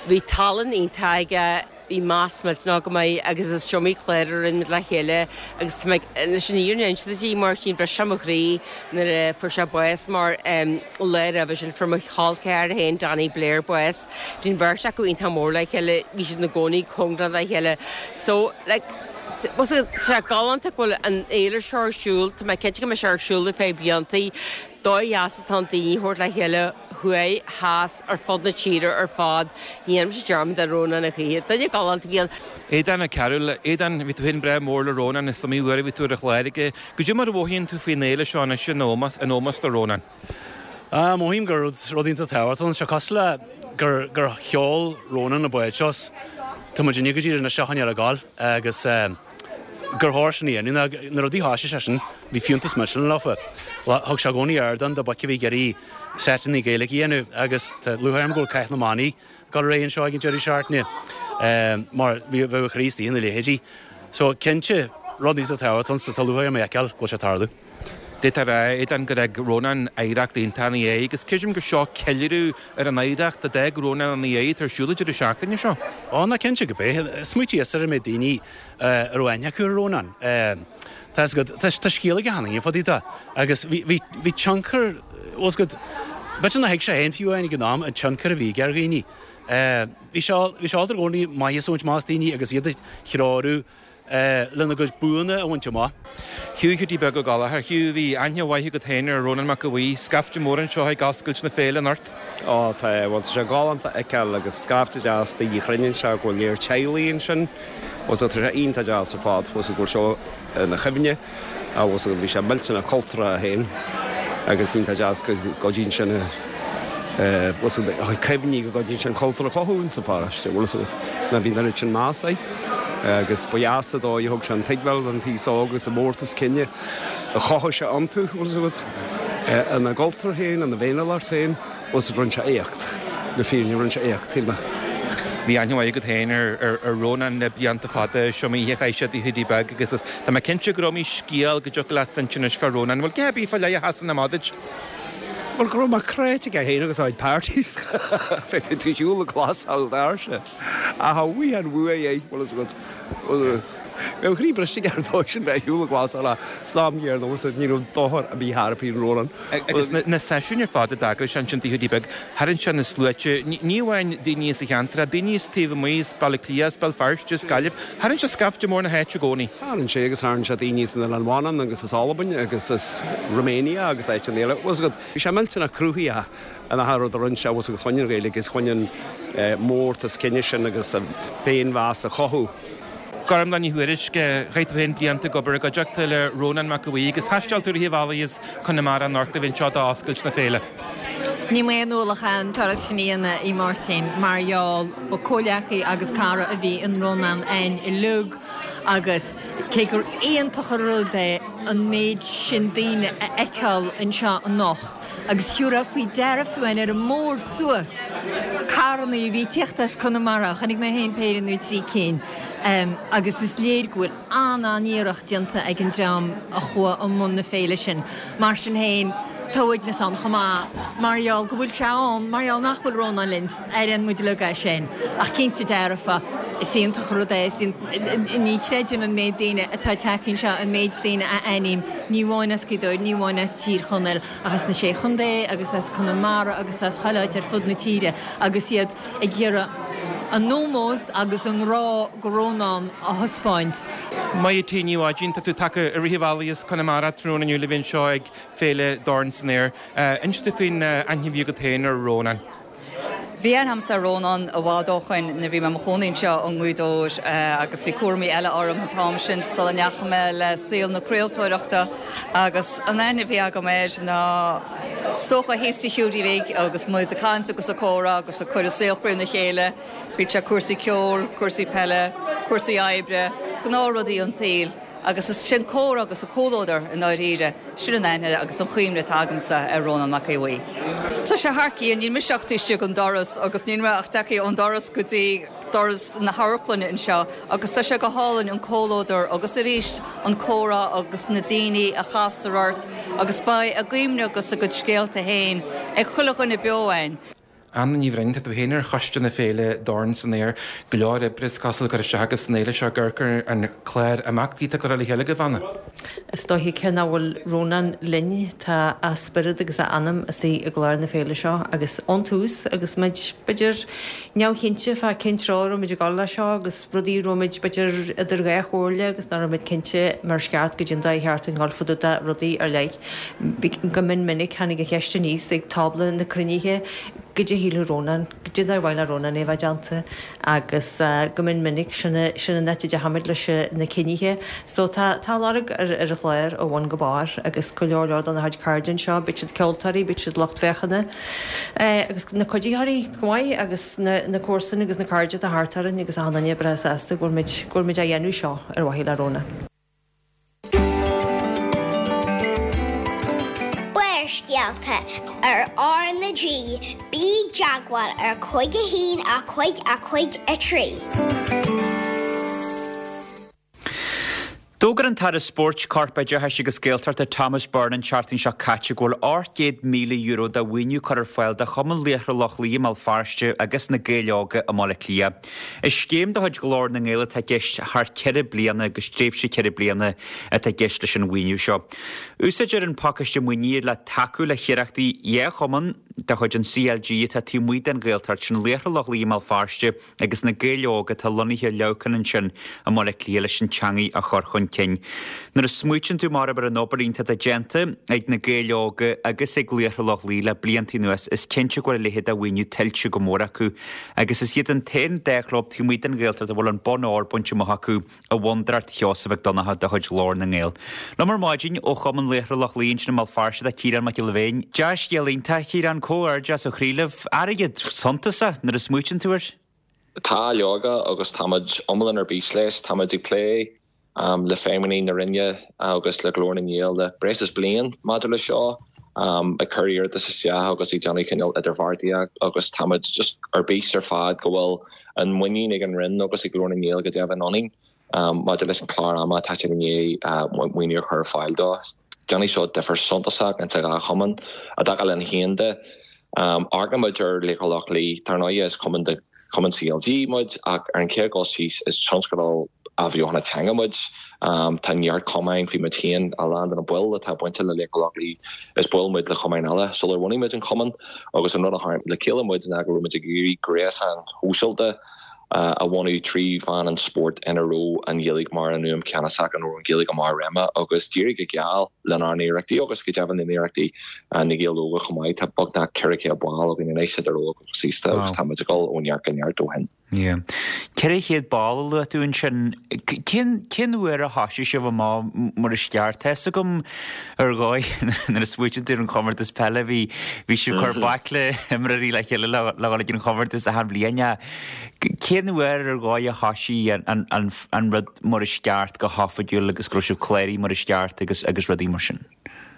[SPEAKER 9] Bhí tallann iontach aige, bhí meas millteanach agam air agus is iomaí clár a rinne muid le chéile agus tá mé leis an fhírinne a inse duit a Mháirtín, bhris sé mo chroí nuair a fuair sé bás mar lá roimhe sin fuair mo chol ceathar féin Danny Blair bás. Bhí an bheirt acu iontach mór le chéile, bhí siad ina gcónaí cóngarach dá chéile. So like tá sé galánta go bhfuil an fhéile seo ar siúl, tá mé cinnte go mbeidh sé ar siúl ar feadh blianta, dóigh dheas atá ann daoine a thabhairt le chéile thuaidh, theas, ar fud na tíre ar fad. Ní dhéanfaimse dearmad ar Rónán a choíche. Duine galánta a bhí ann.
[SPEAKER 6] Aodán Ó Cearúil, Aodán, bhí tú féin breá mór le Rónán, is iomaí uair a bhí tú ar a chlár aige. Goidé mar a mhothaíonn tú faoin fhéile seo anois in ómós, in ómós do Rónán?
[SPEAKER 10] Ah, mothaím gur rud, rud iontach tábhachtach ann. Tá sé cosúil le gur, gur sheol Rónán an bád seo 's tá muidinne go díreach anois á choinneáil ag gabháil agus gur chóir sin a dhéanamh. Na rudaí a thoisigh seisean, bhí fiúntas millteanach leofa. Thug sé i gcónaí ardán do boic a bhí ag iarraidh seiteanna Gaeilge a dhéanamh agus tá lúcháir orm go bhfuil Cath na mBannaí ag dul ar aghaidh anseo ag an deireadh seachtaine mar bheadh a chroí istigh ina leithéidí. So cinnte, rud iontach tábhachtach ann, tá lúcháir orm a fheiceáil go bhfuil sé ag tarlú.
[SPEAKER 6] D'fhéadfá a rá, Aodán, gur fhág Rónán oidhreacht iontach ina dhiaidh agus creidim gur seo ceiliúradh ar an oidhreacht a d'fhág Rónán ina dhiaidh atá ar siúl an deireadh seachtaine seo.
[SPEAKER 10] Ó, ná cinnte go b'é. Smaoitíos ar an méid daoine a raibh aithne acu ar Rónán. Tá 'fhios agat, tá tá scéal aige cheana fá dtaobh de agus bhí bhí bhí tionchar, bhfuil 'fhios agat, b'fhéidir nár thuig sé féin fiú amháin ag an am an tionchar a bhí aige ar dhaoine. Bhí sé bhí sé ábalta i gcónaí maitheas a bhaint amach as daoine agus iad a threorú lena gcuid buanna a bhaint amach.
[SPEAKER 6] Hugh Hiúdaí Beag Ó Gallchóir, Hugh, bhí aithne mhaith agat féin ar Rónán Mac Aodha Bhuí, scaifte mór anseo ag oscailt na féile anocht.
[SPEAKER 11] Ó tá, bhuel tá sé galánta a fheiceáil agus scaifte deas daoine cruinn anseo, go bhfuil léir teaghlaigh ansin, bhuel tá sé iontach deas ar fad, bhuel go bhfuil seo ina chuimhne, bhuel bhí sé millteanach cultúrtha féin agus iontach deas go gcuidíonn sin bhuel cuimhní go gcuidíonn sin cultúr a chothú insa pharóiste, bhfuil fhios agat, ná bhí an oiread sin meas air agus ba dheas an dóigh a thug sé an tuigbheáil don t-aos óg agus an mórtas cine a chothaigh sé iontu, bhfuil fhios agat, ina gcultúr féin, ina bhféiniúlacht féin. Bhuel rinne sé éacht, le fírinne, rinne sé éacht, shíl mé.
[SPEAKER 6] Bhí aithne mhaith agat féin ar Rónán le blianta fada, is iomaí oíche a chaith sé i dTigh Hiúdaí Beag agus is tá mé cinnte gur iomaí scéal go dtiocfadh leat inse anois fá Rónán. Bhfuil gá ar bith fá leith a sheasann amach duit?
[SPEAKER 11] Bhuel, go raibh mé cráite aige féin agus a chuid parties. Bhí tú siúl ag glasáil doirse. Ach a bhuí an bhuaidh é, bhfuil fhios agat. Bhí mo chroí briste aige ar dóigh sin bheith ar shiúl ag glasáil ach san am gcéanna bhfuil fhios agat, ní raibh dochar ar bith thar a Rónán.
[SPEAKER 6] Agus na seisiúin ar fad a d'eagraigh sé ansin i dTigh Hiúdaí Beag, tharraing sé na sluaite, ní amháin daoine as an cheantar ach daoine as taobh amuigh, as Baile Átha Cliath, as Béal Feirste, as Gaillimh, tharraing sé scaifte mór na háite i gcónaí.
[SPEAKER 11] Tharraing sé agus tharraing sé daoine as an Oileán Mhanann agus as Albain agus as Romania agus áiteanna eile. Bhfuil fhios agat, bhí sé millteanach cruthaitheach in achan rud a rinne sé, bhfuil fhios agat, chun an Ghaeilge agus chun an mórtas cine sin agus an féinmheas a chothú.
[SPEAKER 6] Gormlaith Ní Thuairisg, chaith tú féin blianta ag obair i gcuideachta le Rónán Mac Aodha Bhuí agus thaisteal tú i rith an bhealaigh as Conamara anocht le bheith anseo d'oscailt na féile.
[SPEAKER 12] Níl mé in ualach an turas sin a dhéanamh, a Mháirtín, mar gheall ba comhleacaí agus cara a bhí in Rónán a'inn uilig agus cé gur iontach an rud é an méid sin daoine a fheiceáil anseo anocht, Agus thiúrfá faoi deara fiú amháin ar an mbóthar suas, carrannaí a bhí ag tíocht as Conamara, chonaic mé féin péire nó trí cinn, agus is léir go bhfuil an-an-iarracht déanta ag an dream a chuaigh i mbun na féile sin. Mar sin féin, tá uaigneas ann chomh maith, mar gheall go bhfuil sé ann, mar gheall nach bhfuil Rónán linn, airíonn muid uilig é sin. Ach cinnte dearfa, is iontach an rud é, is ní chreidim an méid daoine atá tagtha anseo, an méid daoine a aithním, ní amháin as Gaoth Dobhair, ní amháin as Tír Chonaill, ach as na Sé Chontae agus as Conamara agus as chuile áit ar fud na tíre agus iad ag iarraidh a n-ómós agus a ngrá go Rónán a thaispeáint.
[SPEAKER 6] Maith T Ní Mhaidín, tá tú tagtha i rith an bhealaigh as Conamara tráthnóna inniu le bheith anseo ag Féile Dorn san Aer. Inis domh faoin aithne a bhí agat féin ar Rónán.
[SPEAKER 13] Bhí aithne agamsa ar Rónán i bhfad ó shoin nuair bhí mé mo chónaí anseo i nGaoth Dobhair agus bhí cúraimí eile orm an t-am sin sula ndeachaigh mé le saol na craoltóireachta agus an aithne a bhí agam air ná is dócha thíos Tigh Hiúdaí Bhig agus muid ag caint agus ag comhrá agus ag cur saol chroí na chéile, bíodh sé cúrsaí ceoil, cúrsaí peile, cúrsaí oibre, gnáthrudaí an tsaoil. Agus is sin comhrá agus a comhluadar i ndáiríre, sin an aithne agus an chuimhne atá agamsa ar Rónán Mac Aodha Bhuí. Tá sé thar cionn, níl mise ach taobh istigh den doras agus níl mé ach tagtha ón doras go dtí doras na hamharclainne anseo agus tá sé go hálainn an comhluadar agus arís an comhrá agus na daoine a chastar ort agus beidh a gcuimhne agus a gcuid scéalta féin ag chuile dhuine beo ann.
[SPEAKER 6] Anna Ní Bhroin, tá tú féin ar choiste na féile Dorn san Aer, go leor oibre is cosúil curtha isteach agaibh san fhéile seo ag amharc ar an chlár imeachtaí atá curtha le chéile agaibh, Anna.
[SPEAKER 14] Is dóiche cé nach bhfuil Rónán linn, tá a spiorad agus a anam istigh i gclár na féile seo agus ón tús agus muid b'fhéidir neamhchinnte fá cén treo a raibh muid ag dul leis seo agus rudaí a raibh muid b'fhéidir idir dhá chomhairle agus nach raibh muid cinnte mar is ceart goidé an dóigh cheart dúinn dul fá dtaobh de rudaí ar leith. Go mion minic tháinig an cheist aníos ag tábla na cruinnithe Goidé a shílfeadh Rónán, goidé an dóigh ar mhaith le Rónán é a bheith déanta agus go mion minic sin sin an áit a dteachaigh muid leis na cinnithe. So tá tá lorg ar ar an chlár ó bhun go barr agus go leor leor dona chuid cairde anseo, bíodh siad ceoltóirí, bíodh siad lucht féachana agus na cuiditheoirí chomh maith agus na na comharsana agus na cairde atá thart orainn agus achan duine breá sásta go bhfuil muid go bhfuil muid á dhéanamh seo ar mhaithe le Rónán.
[SPEAKER 15] Barrscéalta ar R na G, bí i dteagmháil ar cúig a haon a cúig a cúig a trí.
[SPEAKER 1] D'fhógair an tAire Spóirt, Corpoideachais agus Gaeltachta Thomas Byrne an tseachtain seo caite go bhfuil ocht gcéad míle euro de mhaoiniú curtha ar fáil do Chumann Laochra Loch Lao i mBéal Feirste agus na Gaeil Óga i mBaile Átha Cliath. Is scéim de chuid Ghlór na nGael atá i gceist thar ceithre bliana agus tréimhse ceithre bliana atá i gceist leis an mhaoiniú seo. Úsáidtear an pacáiste maoinithe le tacú le hiarrachtaí dhá chumann de chuid an CLG atá taobh amuigh den Ghaeltacht, sin Laochra Loch Lao i mBéal Feirste agus na Gaeil Óga atá lonnaithe i Leamhcán ansin i mBaile Átha Cliath leis an teangaidh a chur chun cinn. Nuair a smaoitíonn tú mar ar an obair iontach atá déanta ag na Gaeil Óga agus ag Laochra Loch Lao le blianta anuas, is cinnte go bhfuil a leithéid de mhaoiniú tuillte go mór acu agus is iad an t-aon dá chlub taobh amuigh den Ghaeltacht a bhfuil an bonn óir bainte amach acu i bhFondúireacht Sheosaimh Mhic Donncha de chuid Ghlór na nGael. Liom ar maidin ó Chumann Laochra Loch Lao ansin i mBéal Feirste tá Ciarán Mac Giolla Bhéin. Dea-scéal iontach, Ciarán, comhghairdeas ó chroí libh. Airgead suntasach nuair a smaoitíonn tú air.
[SPEAKER 16] Tá, leoga, agus táimid iomlán ar bís leis. Táimid ag plé le feidhmeannaigh na Roinne agus le Glór na nGael le breis is bliain maidir leis seo, ag cur iarratas isteach agus ag déanamh cineál idirbheartaíocht agus táimid just ar bís ar fad go bhfuil an muinín ag an Roinn agus ag Glór na nGael go deimhin ionainn maidir leis an chlár ama atá siad i ndiaidh maoiniú a chur ar fáil dó. Déanfaidh seo difear suntasach insa dhá chumann. I dtaca linn féin de, amharcann muid ar Laochra Loch Lao, dar ndóigh is cumann de chumann CLG muid ach ar an chéad dul síos is tionscadal athbheochana teanga muid. Tá neart cumainn, bhí muid féin, a lán de na baill atá bainte le Laochra Loch Lao, is baill muid le cumainn eile sular bhunaigh muid an cumann agus an rud a tharraing le chéile muid ná go raibh muid ag iarraidh gréasán shóisialta a bhunú trí mheán an spóirt ina raibh an Ghaeilge mar an fhuaim cheannasach, ina raibh an Ghaeilge i mbarr réime agus d'éirigh go geal lenár n-iarrachtaí agus go deimhin le n-iarrachtaí na Gaeil Óga chomh maith. Tá beagnach ceithre chéad ball againn anois idir óg agus aosta agus tá muid ag dul ó neart go neart ó shin.
[SPEAKER 1] Yeah. Ceithre chéad ball a luaigh tú ansin. Cén cén uair a thoisigh sibh amach mar is ceart? Tá fhios agam ar dhóigh nuair a smaoitíonn tú ar an chomórtas peile bhí bhí sibh ag cur baicle imreoirí le chéile le le dhul ag an chomórtas achan bhliain. Cén uair ar dhóigh a thoisigh an an an rud mar is ceart go hoifigiúil agus go raibh sibh cláraithe mar is ceart agus agus rudaí mar sin?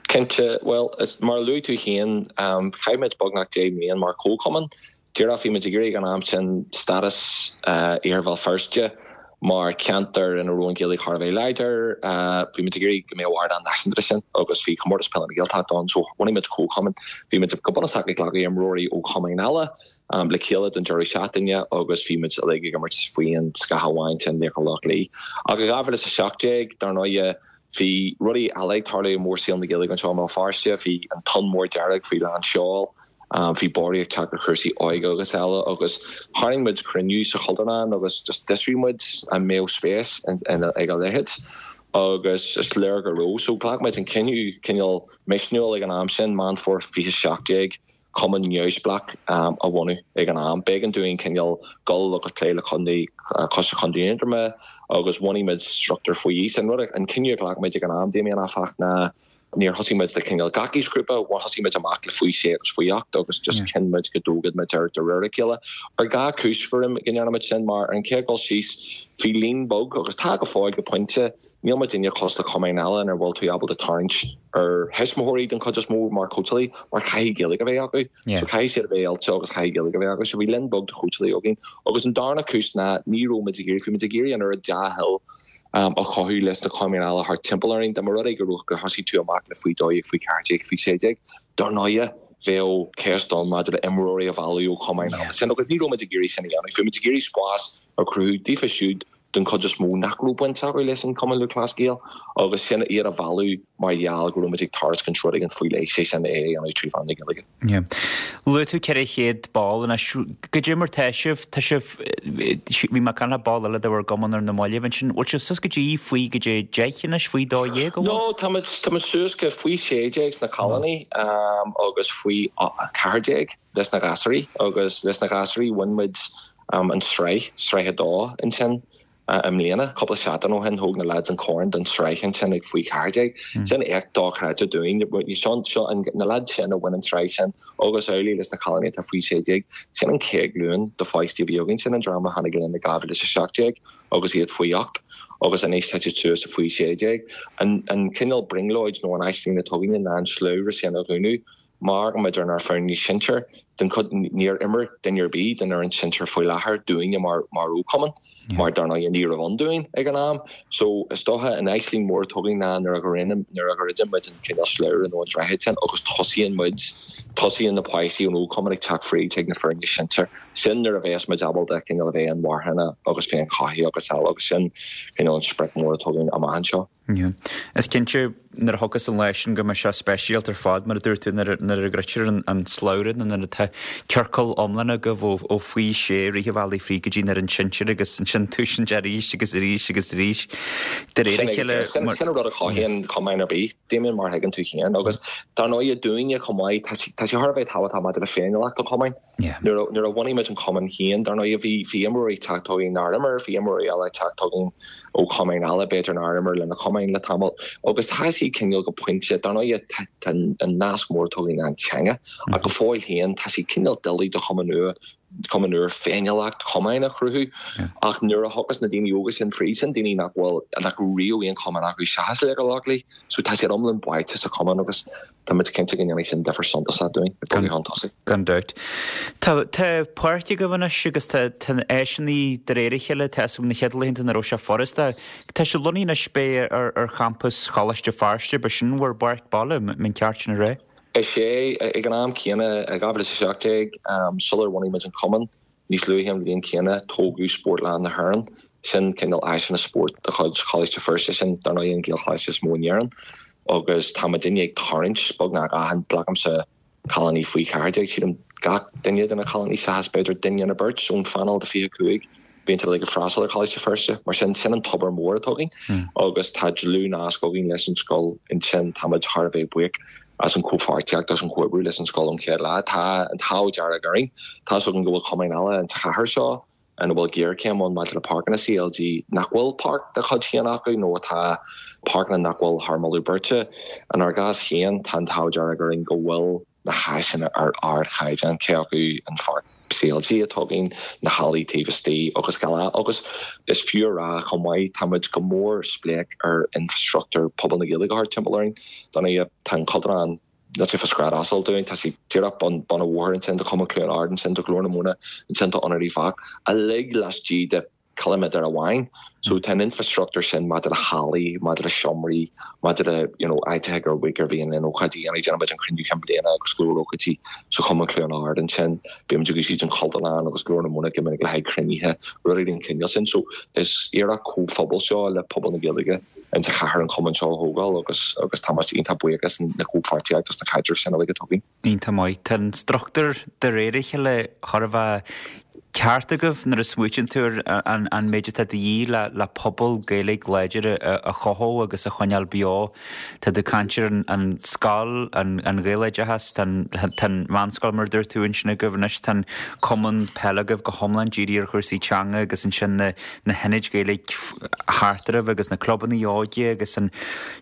[SPEAKER 16] Cinnte, bhuel, mar a luaigh tú féin, chaith muid beagnach deich mbliain mar chomhchumann. Díreach bhí muid ag iarraidh ag an am sin stádas Iarthar Bhéal Feirste mar cheantar ina raibh an Ghaeilge thar a bheith láidir. Bhí muid ag iarraidh go mbeadh ardán náisiúnta leis sin agus bhí Comórtas Peile na Gaeltachta ann so bhunaigh muid comhchumann. Bhí muid go bunúsach ag glacadh imreoirí ó chumainn eile le chéile don deireadh seachtaine agus bhí muid uilig ag imirt faoi an scáth amháin sin, Laochra Loch Lao. Ach i dhá mhíle is a seacht déag, dar ndóigh, Bhí rudaí eile ag tarlú i mórshaol na Gaeilge anseo i mBéal Feirste, bhí an tonn mór dearg faoi lán seoil, bhí borradh ag teacht ar chúrsaí óige agus eile agus tharraing muid cruinniú sa Chultúrlann agus just d'fhiosraigh muid an mbeadh spéis ag a leithéid agus is léir go raibh. So ghlac muid an cinneadh cineál misniúil ag an am sin, Meán Fómhair fiche seacht déag, cumann neamhspleách a bhunú ag an am. B'éigean dúinn cineál dul agus plé le contae, Coiste Chontae Aontroma agus bhunaigh muid struchtúr faoi aois. An rud, an cinneadh a ghlac muid ag an am, Damien, áfach, ná níor thosaigh muid le cineál gach aoisghrúpa, thosaigh muid amach le faoi sé agus faoi ocht agus just chinn muid go dtógfadh muid air de réir a chéile. Ar dhá chúis go ndearna muid sin mar ar an chéad dul síos bhí líon beag agus tá go fóill go pointe, níl muidinne cosúil le cumainn eile inar bhfuil tú ábalta tarraingt ar thuismitheoirí den chuid is mó mar chóitseálaí mar caithfidh Gaeilge a bheith acu. So caithfidh siad a bheith oilte agus caithfidh Gaeilge a bheith acu. So bhí líon beag de chóitseálaí againn. Agus an darna cúis ná ní raibh muid ag iarraidh, bhí muid ag iarraidh an oiread dea-thoil a chothú leis na cumainn eile thart timpeall orainn. Dá mba rud é go raibh gur thosaigh tú amach le faoi dó dhéag, faoi ceathair déag, faoi sé déag, dar ndóighe bheadh ceist ann maidir le imreoirí a mhealladh ó chumainn eile sin agus ní raibh muid ag iarraidh sin a dhéanamh. Bhí muid ag iarraidh spás a chruthú daofa siúd den chuid is mó nach raibh baint acu leis an Cumann Lúthchleas Gael agus sin iad a mhealladh mar gheall go raibh muid ag tairiscint rud éigin faoi leith, sé sin é a dhéanamh trí mheán na Gaeilge.
[SPEAKER 1] Yeah. Luaigh tú ceithre chéad ball anois. Goidé mar tá sibh? Tá sibh, bhí mé ag caint le ball eile de bhur gcumann ar na mallaibh ansin. Bhfuil sibh suas go dtí faoi goidé deich anois, faoi dó dhéag an bhfuil?
[SPEAKER 16] No, tá muid, tá muid suas go faoi sé déag sna cailíní agus faoi ceathair déag leis na gasúirí agus leis na gasúirí bhain muid an tsraith, sraith a dó ansin i mbliana. Cúpla seachtain ó shin thóg na lads an corn don tsraith ansin ag faoi cheathair déag. Sin éacht dochreidte dúinn. Seo, seo an, na lads sin a bhain an tsraith sin agus amhlaidh leis na cailíní atá faoi sé déag. Sin an chéad ghlúin de pháistí a bhí againn. Sin an dream a tháinig linn i dhá mhíle is a seacht déag agus iad faoi ocht agus anois tá siad suas i faoi sé déag. An, an cineál brionglóid nó an aisling atá againne ná an slabhra sin a dhúnadh. Má amharcann muid ar ár foirne sinsir, den chuid, níor imir duine ar bith den fhoireann sinsir faoi láthair dúinne mar mar fhochumann, mar dar ndóigh ní raibh ann dúinn ag an am. So is dócha an aisling mhór atá againn ná nuair a dhruideann nuair a dhruideann muid an cineál slabhra nó an droichead sin agus tosaíonn muid, tosaíonn na páistí ón fhochumann ag teacht fríd chuig na foirne sinsir. Sin nuair a bheas muid ábalta cineál a bheith inmharthana agus féinchothaithe agus eile agus sin cineál an sprioc mór atá againn amach anseo.
[SPEAKER 1] Yeah. Is cinnte nuair a thiocfas an lá sin go mbeidh sé speisialta ar fad, mar a dúirt tú, nuair a nuair a dhruidtear an an slabhra nó nuair atá ciorcal iomlán agaibh ó ó faoi sé rith an bhealaigh fríd go dtí an fhoireann sinsir agus ansin tosaíonn sé arís agus arís agus arís de réir a
[SPEAKER 16] Sin
[SPEAKER 1] chéile
[SPEAKER 16] sin
[SPEAKER 1] mar
[SPEAKER 16] sin an rud a chothaíonn cumann ar bith, Damien, mar a thuigeann tú féin. Agus dar ndóighe dúinne chomh maith, tá sé tá sé thar a bheith tábhachtach maidir le féiniúlacht an chumainn.
[SPEAKER 1] Yeah.
[SPEAKER 16] Nuair a nuair a bhunaigh muid an cumann féin, dar ndóighe bhí bhí imreoirí ag teacht chugainn nár imir, bhí imreoirí eile ag teacht chugainn ó chumainn eile b'fhéidir nár imir le na cumainn le tamall. Agus tá sé cineál go pointe, dar ndóighe tá tá an nasc mór atá againn ná an teanga, ach go fóill féin tá sé cineál doiligh do chumann nua cumann úr féiniúlacht chumainn a chruthú. Ach nuair a thiocfas na daoine óga sin fríd sin, daoine nach bhfuil nach raibh riamh aon chumann acu seachas Laochra Loch Lao, so tá siad iomlán báite sa chumann agus tá muid cinnte go ndéanfaidh sin difear suntasach dúinn ag bogadh chun tosaigh.
[SPEAKER 1] Gan dabht. Tá tá páirc agaibh anois agus tá tá na áiseanna de réir a chéile, tá a fhios agam na chéad laethanta nach raibh sé furasta. Tá sé lonnaithe anois b'é ar ar champas Choláiste Feirste, b'é sin bhur bpáirc baile, an ceart sin a rá?
[SPEAKER 16] Is é, ag an am céanna, i dhá mhíle is a seacht déag, sular bhunaigh muid an cumann, níos luaithe an bhliain chéanna, tógadh Spórtlann na hÉireann. Sin cineál áiseanna spóirt de chuid Choláiste Feirste, sin, dar ndóigh, an Gaelcholáiste is mó in Éirinn. Agus tá muidinne ag tarraingt beagnach achan, glacaimse cailíní faoi cheathair déag, sílim gach duine de na cailíní seachas b'fhéidir duine nó beirt ón phainéal de fiche cúig, bíonn siad ag freastal ar Choláiste Feirste. Mar sin, sin an tobar mór atá againn agus tá dlúthnasc againn leis an scoil ansin. Táimid thar a bheith buíoch as an chomhpháirtíocht, as an chomhoibriú leis an scoil ón chéad lá. Tá an t-ádh dearg orainn. Tá's againn go bhfuil cumainn eile insa chathair seo ina bhfuil géarchéim ann maidir le páirceanna C L G nach bhfuil páirc dá chuid féin acu nó atá páirceanna nach bhfuil thar moladh beirte. Inár gcás féin, tá an t-ádh dearg orainn go bhfuil na háiseanna ar ardchaighdeán, cé acu an pháirc C L G atá againn, na hallaí taobh istigh agus eile. Agus is fiú a rá chomh maith, tá muid go mór spléach ar infrastruchtúr pobal na Gaeilge thart timpeall orainn. Dar ndóigh, tá an Cultúrlann, níl sé fá scread asail dúinn, tá sé díreach bun bun an bhóthair ansin, tá Cumann Chluain Ard ansin, tá Glór na Móna ansin, tá Ionad Uíbh Eachach, uilig laistigh de ciliméadar amháin. So tá an infrastruchtúr sin maidir le hallaí, maidir le seomraí, maidir le you know áiteacha gur gur mhian linn ócáidí a dhéanamh. Déanann muid an cruinniú cinn bliana agus go leor ócáidí sa Chumann Chluain Ard ansin. Bíonn muid ag úsáid an Chultúrlann agus Glór na Móna go minic le haghaidh cruinnithe, rudaí den chineál sin. So is iarracht comhphobail seo le pobal na Gaeilge insa chathair an cumann seo a thógáil agus agus tá muid iontach buíoch as na comhpháirtíocht agus na caidrimh sin uilig atá againn.
[SPEAKER 1] Iontach maith. Tá an struchtúr de réir a chéile thar a bheith ceart agaibh nuair a smaoitíonn tú ar an an méid atá de dhíth le le pobal Gaeilge láidir a a chothú agus a choinneáil beo. Tá tú ag caint ar an an scoil, an an Ghaeloideachas, tá an tá an mheánscoil mar a dúirt tú ansin agaibh anois, tá an cumann peile agaibh go hiomlán dírithe ar chúrsaí teanga agus ansin na na hionaid Ghaeilge thart oraibh agus na clubanna óige agus an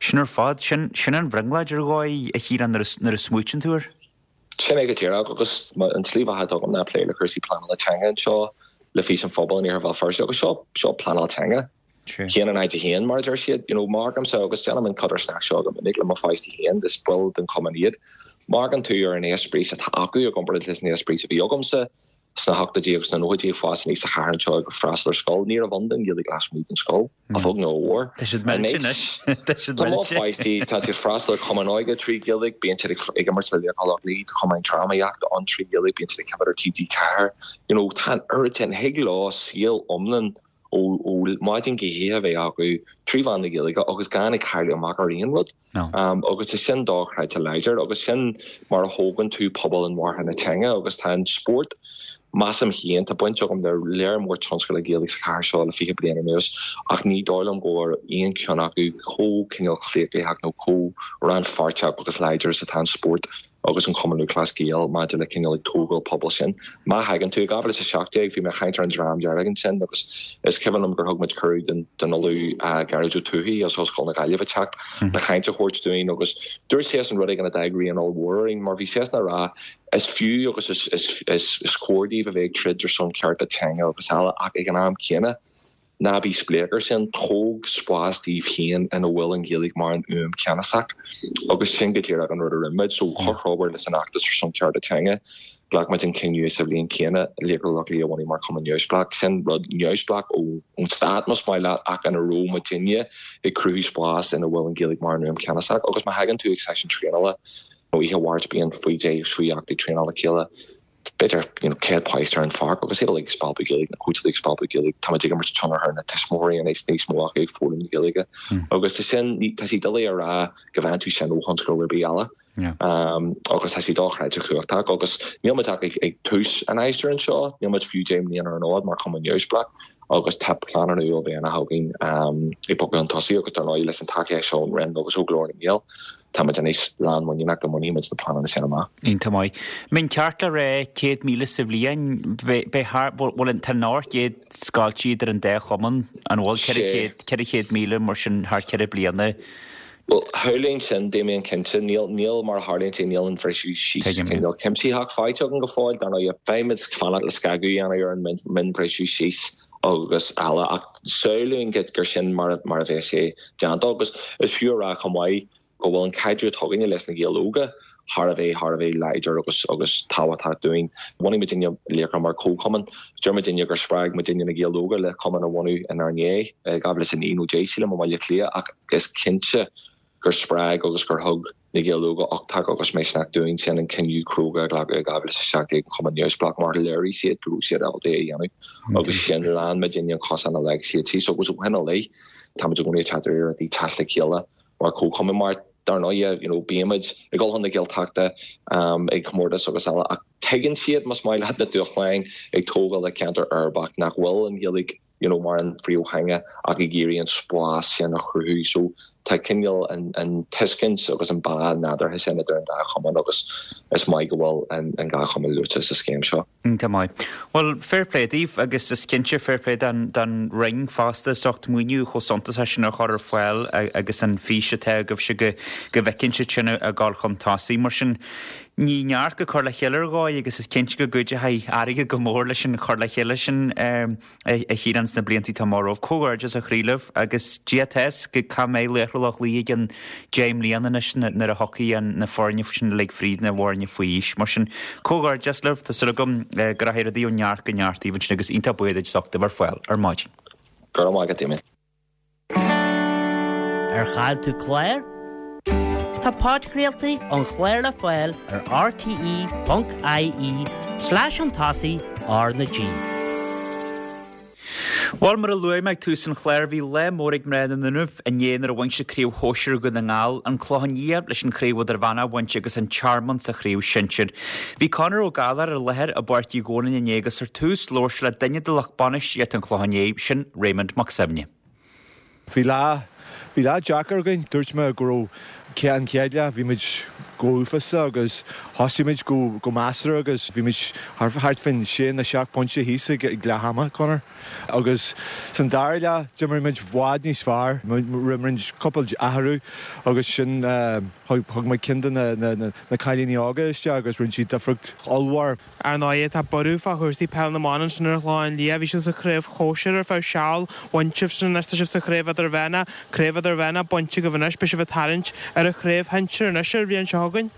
[SPEAKER 1] sin ar fad, sin sin an bhrionglóid ar dhóigh a Chiaráin nuair a nuair a smaoitíonn tú air.
[SPEAKER 16] Sin é go díreach agus an tslí bheatha atá agam ná plé le cúrsaí pleanála teanga anseo le Fís an Phobail in Iarthar Bhéal Feirste agus seo seo pleanáil teanga. Haon in aghaidh a haon mar a deir siad, you know, má amharcaimse agus déanaim an codarsnacht seo go minic le mo pháistí féin, is baill den chumann iad. Má amharcann tú ar an eispéireas atá acu i gcomparáid leis an eispéireas a bhí agamsa sna hochtóidí agus sna nóchaidí ag fás aníos sa chathair anseo ag freastal ar scoil, ní raibh ann don Ghaeilge lasmuigh den scoil, a bheag nó a mhór.
[SPEAKER 1] Tá siad millte anois. Tá siad
[SPEAKER 16] Tá mo
[SPEAKER 1] millte.
[SPEAKER 16] pháistí, tá siad ag freastal ar chumann óige trí Ghaeilge, bíonn siad ag ag imirt le Laochra Loch Lao, tá cumainn drámaíochta ann trí Ghaeilge, bíonn siad ag coimhéad ar TG Ceathair. You know, tá an oiread sin, thig leo saol iomlán ó ó maidin go hoíche a bheith acu trí mheán na Gaeilge agus gan ag cailleadh amach ar aon rud. Um, agus tá sin dochreidte láidir agus sin mar a thógann tú pobal inmharthana teanga agus tá an spórt measaim féin tá baint agam le léar mór tionscadail Gaeilge sa chathair seo le fiche bliain anuas ach ní dóigh liom go bhfuil aon cheann acu chomh cineál claochlaitheach nó chomh rannpháirteach agus láidir is atá an spórt agus an Cumann Lúthchleas Gael maidir le cineál ag tógáil pobal sin. Má thagann tú i dhá mhíle is a seacht déag bhí mé ag caint ar an Dream Dearg ansin agus is cuimhin liom gur thug muid cuireadh don don Ollamh Gearóid Ó Tuathaigh as Ollscoil na Gaillimhe teacht le caint a thabhairt dúinn agus dúirt seisean rud éigin a d'fhág rian ollmhór orainn mar bhí seisean ag rá is fiú agus is is is is cóir daoibh a bheith ag troid ar son cearta teanga agus eile ach ag an am céanna ná bí spléach air sin, tóg spás daoibh féin ina bhfuil an Ghaeilge mar an fhuaim cheannasach agus sin go díreach an rud a rinne muid. So comhthreomhar leis an fheachtas ar son cearta teanga, ghlac muid an cinneadh sa bhliain chéanna Laochra Loch Lao a bhunú mar chumann neamhspleách. Sin rud neamhspleách ón stát más maith leat ach ina raibh muidinne ag cruthú spás ina bhfuil an Ghaeilge mar an fhuaim cheannasach agus má thagann tú ag seisiún traenála nó oíche Mháirt bíonn faoi deich faoi ocht ag traenáil le chéile. b'fhéidir you know, céad páiste ar an pháirc agus iad ag spalpadh Gaeilge na cóitseálaithe ag spalpadh Gaeilge tá muid ag imirt tionchar ar na tuismitheoirí anois níos mó acu ag foghlaim na Gaeilge agus tá sin tá sé doiligh a rá go bhfaigheann tú sin ó thionscadal ar bith eile. Um, agus tá sé dochreidte cumhachtach agus níl muid ach ag, ag tús an aistir anseo, níl muid fiú deich mbliana ar an fhód mar chumann neamhspleách agus tá pleananna uaillmhianacha againn um, ag bogadh chun tosaigh agus dar ndóigh leis an tacaíocht seo ón Roinn agus ó Ghlór na nGael. Tá muid anois lánmhuiníneach go mbainfidh muid na pleananna sin amach.
[SPEAKER 1] Iontach maith. Mbeidh ceart le rá céad míle sa bhliain, beidh thar bhfuil an tá an chéad scoilte idir an dá chumann an bhfuil ceithre chéad ceithre chéad míle mar sin thar ceithre bliana.
[SPEAKER 16] Well shamhlóinn sin Damien cinnte níl níl mar a tharlaíonn sé níl an bhriseadh síos cineál cuimsitheach faighte againn go fóill dar ndóigh beidh muid fanacht le scagadh a dhéanamh ar an mionbhriseadh síos agus eile ach samhlaím gur sin mar mar a bheidh sé déanta agus is fiú a rá chomh maith go bhfuil an caidreamh atá againne leis na Gaeil Óga thar a bheith thar a bheith láidir agus agus tábhachtach dúinn. Bhunaigh muidinne Laochra mar comhchumann, deir muidinne gur spreag muidinne na Gaeil Óga le cumann a bhunú inár ndiaidh dhá mhíle is a naoi nó deich sílim i mBaile Átha Cliath ach is cinnte gur spreag agus gur thug na Gaeil Óga uchtach agus misneach dúinn sin an cinneadh cróga a ghlacadh i dhá mhíle is a seacht déag an cumann neamhspleách mar léirigh siad go raibh siad ábalta é a dhéanamh agus sin lean muidinne an cosán a leag siad síos agus ó shin i leith táimid i gcónaí ag teacht ar iarrachtaí teacht le chéile mar comhchumann mar dar ndóigh you know bímid ag dul chun na Gaeltachta um, ag comórtas agus eile ach tuigeann siad más maith leat na dúshláin ag tógáil le ceantar uirbeach nach bhfuil an Ghaeilge you know, mar an phríomhtheanga ach ag iarraidh an spás sin a chruthú so tá cineál an, an tuiscint agus an bá nádúrtha sin idir an dá chumann agus is maith go bhfuil an, an dá chumann luaite sa scéim seo.
[SPEAKER 1] Tá maith. Well fair play daoibh agus is cinnte fair play don don Roinn fosta as ucht maoiniú chomh suntasach sin a chur ar fáil agus an fís atá agaibhse go go bhfeiceann siad sin ag dul chun tosaigh mar sin ní neart go cur le chéile ar dhóigh agus is cinnte go gcuideoidh airgead go mór leis an chur le chéile sin a Chiaráin sna blianta atá romhaibh. Comhghairdeas a chroí libh agus Dia tes go cá mbeidh Laochra Loch Lao ag an deich mbliana anois nuair a thiocfaidh na foirne sin uilig fríd na foirne faoi aois. Mar sin comhghairdeas libh tá súil agam go rachaidh rudaí ó neart go neart daoibh ansin agus iontach buíoch duit as ucht a bheith ar fáil ar maidin.
[SPEAKER 16] Go raibh maith agat Damien.
[SPEAKER 17] Ar chaill tú clár? Tá podchraoltaí an chláir le fáil ar rte.ie slash an tosaigh R na G.
[SPEAKER 1] Bhuel mar a luaigh mé ag tús an chláir bhí lá mór ag mná na nDúnaibh inné nuair a bhain siad craobh shóisir Dhún na nGall, an Clochán Liath leis an chraobh idirmheánach a bhaint agus an Tearmann sa chraobh sinsir. Bhí Conor Ó Gallchóir ar láthair i bPáirc Uí Dhónaill inné agus ar tús labhair sé le duine de lucht bainistíochta an Chlocháin Léith, sin Raymond Mac Suibhne.
[SPEAKER 18] Bhí lá bhí lá deacair againn, dúirt mé go raibh an chéad leath bhí muid go huafásach agus thosaigh muid go go measartha agus bhí muid thart faoin sé nó seacht pointe thíos ag ag leath ama Conor. Agus san dara leath d'imir muid i bhfad níos fearr, rinne muid cúpla athrú agus sin thug muid ceann de na na na cailíní óga isteach agus rinne siad difríocht ollmhór.
[SPEAKER 19] Ar ndóigh, tá borradh fá chúrsaí peil na mban ansin ar an Chlochán Liath. Bhí sibh sa chraobh shóisir ar feadh seal, bhain sibh sin anois, tá sibh sa chraobh idirmheánach, craobh idirmheánach bainte agaibh anois, beidh sibh ag tarraingt ar an chraobh shinsir anois ar an bhliain seo chugainn.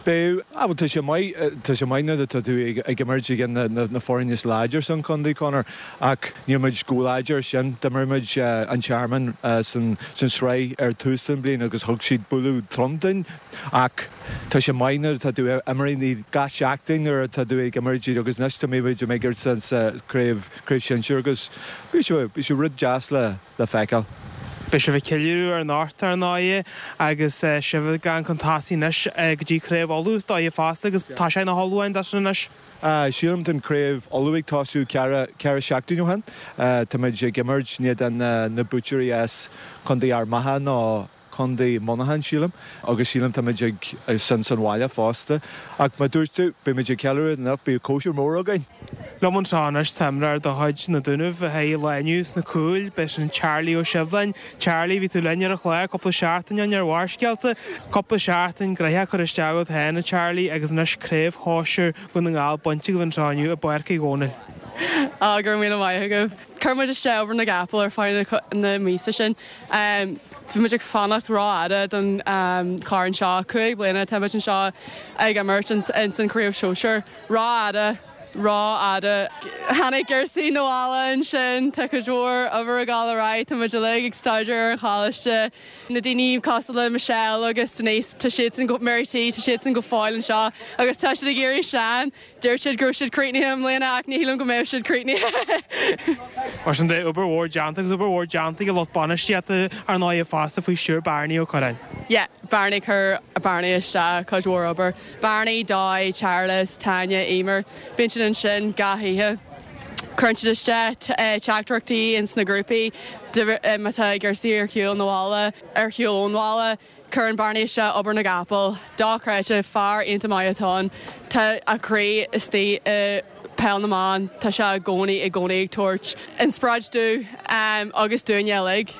[SPEAKER 18] Beidh, ah bhuel tá sé maith, tá sé maith nuair atá tú ag ag imirt ag na na na foirne is láidir san chontae Conor ach níl muid chomh láidir sin. D'imir muid an Tearmann san san sraith ar tús den bhliain agus thug siad bualadh trom dúinn ach tá sé maith nuair atá tú ag imirt gach seachtain nuair atá tú ag imirt agus anois tá muid ag imirt sa craobh craobh sinsir agus bhí sé bhí sé rud deas le le feiceáil.
[SPEAKER 19] Beidh sibh ag ceiliúradh anocht ar ndóigh agus sibh ag gabháil chun tosaigh anois go dtí Craobh Uladh is dóigh fosta agus tá sé ina ullmhúchán dó sin anois.
[SPEAKER 18] Sílim tá an Craobh Uladh ag tosú ceithre ceithre seachtain ó shin. Tá muid ag imirt in éadan na buaiteoirí as Contae Ard Mhacha nó Contae Monaghan sílim agus sílim tá muid ag san san bhaile fosta. Ach mar dúirt tú beidh muid ag ceiliúradh anocht beidh cóisir mór againn.
[SPEAKER 19] Liom anseo anois tá imreoir de chuid na Dúnaibh a bhí lá inniu sna cúil, b'é sin Charlie Ó Sibhleáin. Charlie, bhí tú linn ar an chlár cúpla seachtain ó shin ar Bharrscéalta, cúpla seachtain gnoitheach curtha isteach agat féin a Charlie agus anois craobh shóisir Dhún na nGall bainte agaibh anseo inniu i bPáirc Uí Dhónaill.
[SPEAKER 20] Á, go raibh míle maith agaibh. Chuir muid isteach obair na gcapall ar feadh na míosa sin. Bhí muid ag fanacht rófhada don chorn seo. Cúig bliana tá muid anseo ag imirt ins an chraobh sóisir. Rófhada, rófhada. Tháinig cúrsaí na bhaile ansin, tá cuid mhór obair ag dul ar aghaidh, tá muid uilig ag staidéar ar an choláiste. Na daoine cosúil le Michelle agus Denise, tá siadsan go Mary T, tá siadsan go fóill anseo agus tá siad ag éirí sean. Dúirt siad go raibh siad críochnaithe i mbliana ach ní shílim go mbeidh siad críochnaithe.
[SPEAKER 19] Mar sin de obair mhór déanta agus obair mhór déanta ag lucht bainistíochta ar ndóigh fosta faoi stiúir Barney Ó Curráin.
[SPEAKER 20] Yeah, Barney chuir Barney isteach cuid mhór obair. Barney, Doy, Charles, Tanya, Emer, bíonn siad ansin gach oíche. Cuireann siad isteach teachtaireachtaí ins na grúpaí má tá cúrsaí ar shiúl na bhaile, ar shiúl ón bhaile. Cuireann Barney isteach obair na gcapall, dochreidte, fear iontach maith atá ann. Tá a chroí istigh i peil na mban, tá sé i gcónaí i gcónaí ag tabhairt inspioráid dúinn agus dúinne uilig.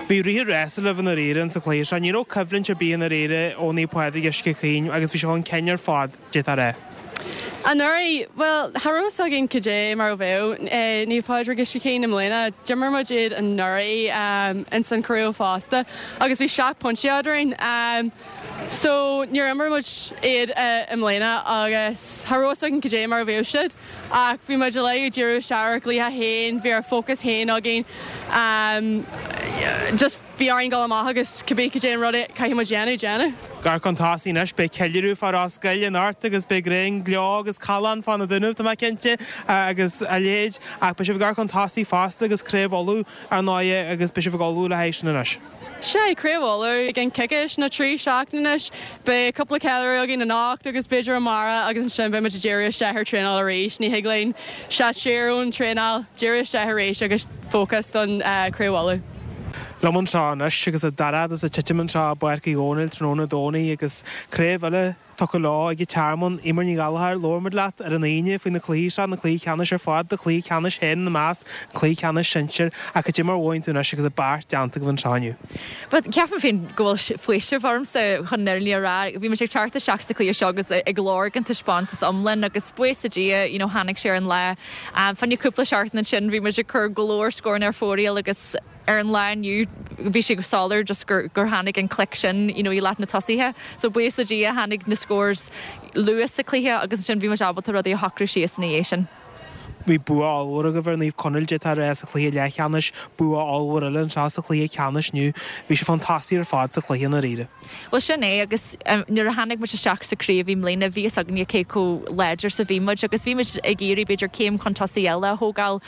[SPEAKER 19] Bhí rith an rása libh i ndáiríre insa chluiche seo. Ní raibh coimhlint ar bith i ndáiríre ó Naomh Pádraig Uisce Chaoin agus bhí sé chun cinn ar fad, d'fhéadfá a rá.
[SPEAKER 20] Anuraidh, bhuel, cha raibh fhios againn cad é mar a bheadh Naomh Pádraig Uisce Chaoin i mbliana. D'imir muid iad anuraidh ins an chraobh fosta agus bhí seacht bpointe eadrainn. So níor imir muid iad i mbliana agus cha raibh fhios againn cad é mar a bheadh siad. Ach bhí muid uilig ag díriú isteach ar ár gcluiche féin, bhí ár fócas féin againn. Just bhí orainn dul amach agus cibé cad é an rud a caithfidh muid dhéanamh, déanamh.
[SPEAKER 19] Ag amharc chun tosaigh anois, beidh ceiliúradh fá Ros Goill anocht agus beidh greim gleo agus callán fá na Dúnaibh, tá mé cinnte, agus a leithéid. Ach beidh sibh ag amharc chun tosaigh fosta agus Craobh Uladh ar ndóigh agus beidh sibh ag ullmhú le haghaidh sin anois.
[SPEAKER 20] Sea, Craobh Uladh i gceann coicís nó trí seachtaine anois. Beidh cúpla ceiliúradh againn anocht agus b'fhéidir amárach agus ansin beidh muid ag díriú isteach ar traenáil arís. Ní thig linn seasamh siar ón traenáil, díriú isteach arís agus fócas don Craobh Uladh.
[SPEAKER 19] Liom anseo anois agus an dorchadas ag titim anseo i bPáirc Uí Dhónaill tráthnóna Domhnaigh agus craobh eile tugtha leo ag an Tearmann. Eimear Ní Ghallchóir, labhair muid leat ar an Aoine faoi na cluichí seo, na cluichí ceannais ar fad, do chluiche ceannais féin ina measc, an cluiche ceannais sinsir, ach cad é mar a mhothaíonn tú anois agus an beart déanta agaibh anseo inniu?
[SPEAKER 21] But ceapaim féin go bhfuil faoiseamh ormsa chun an fhírinne a rá. Bhí muid ag teacht isteach sa chluiche seo agus ag lorg an taispeántas iomlán agus buíochas le Dia, you know, tháinig sé ar an lá. Fá choinne cúpla seachtain ansin bhí muid ag cur go leor scóranna ar fóraoil agus ar an lá inniu bhí sé go soiléir just gur gur tháinig an click sin you know, i leath na tosaithe. So buíochas le Dia tháinig na scores luath sa cluiche agus ansin bhí muid ábalta rudaí a shocrú síos ina dhiaidh sin.
[SPEAKER 19] Bhí bua ollmhór agaibh ar Naomh Conaill d'fhéadfá a rá sa chluiche leathcheannais, bua ollmhór eile anseo sa chluiche ceannais inniu. Bhí sibh chun tosaigh ar fad sa chluiche i ndáiríre.
[SPEAKER 21] Bhuel sin é agus nuair a tháinig muid isteach sa chraobh i mbliana bhí fhios againne cé chomh láidir is a bhí muid agus bhí muid ag iarraidh b'fhéidir céim chun tosaigh eile a thógáil.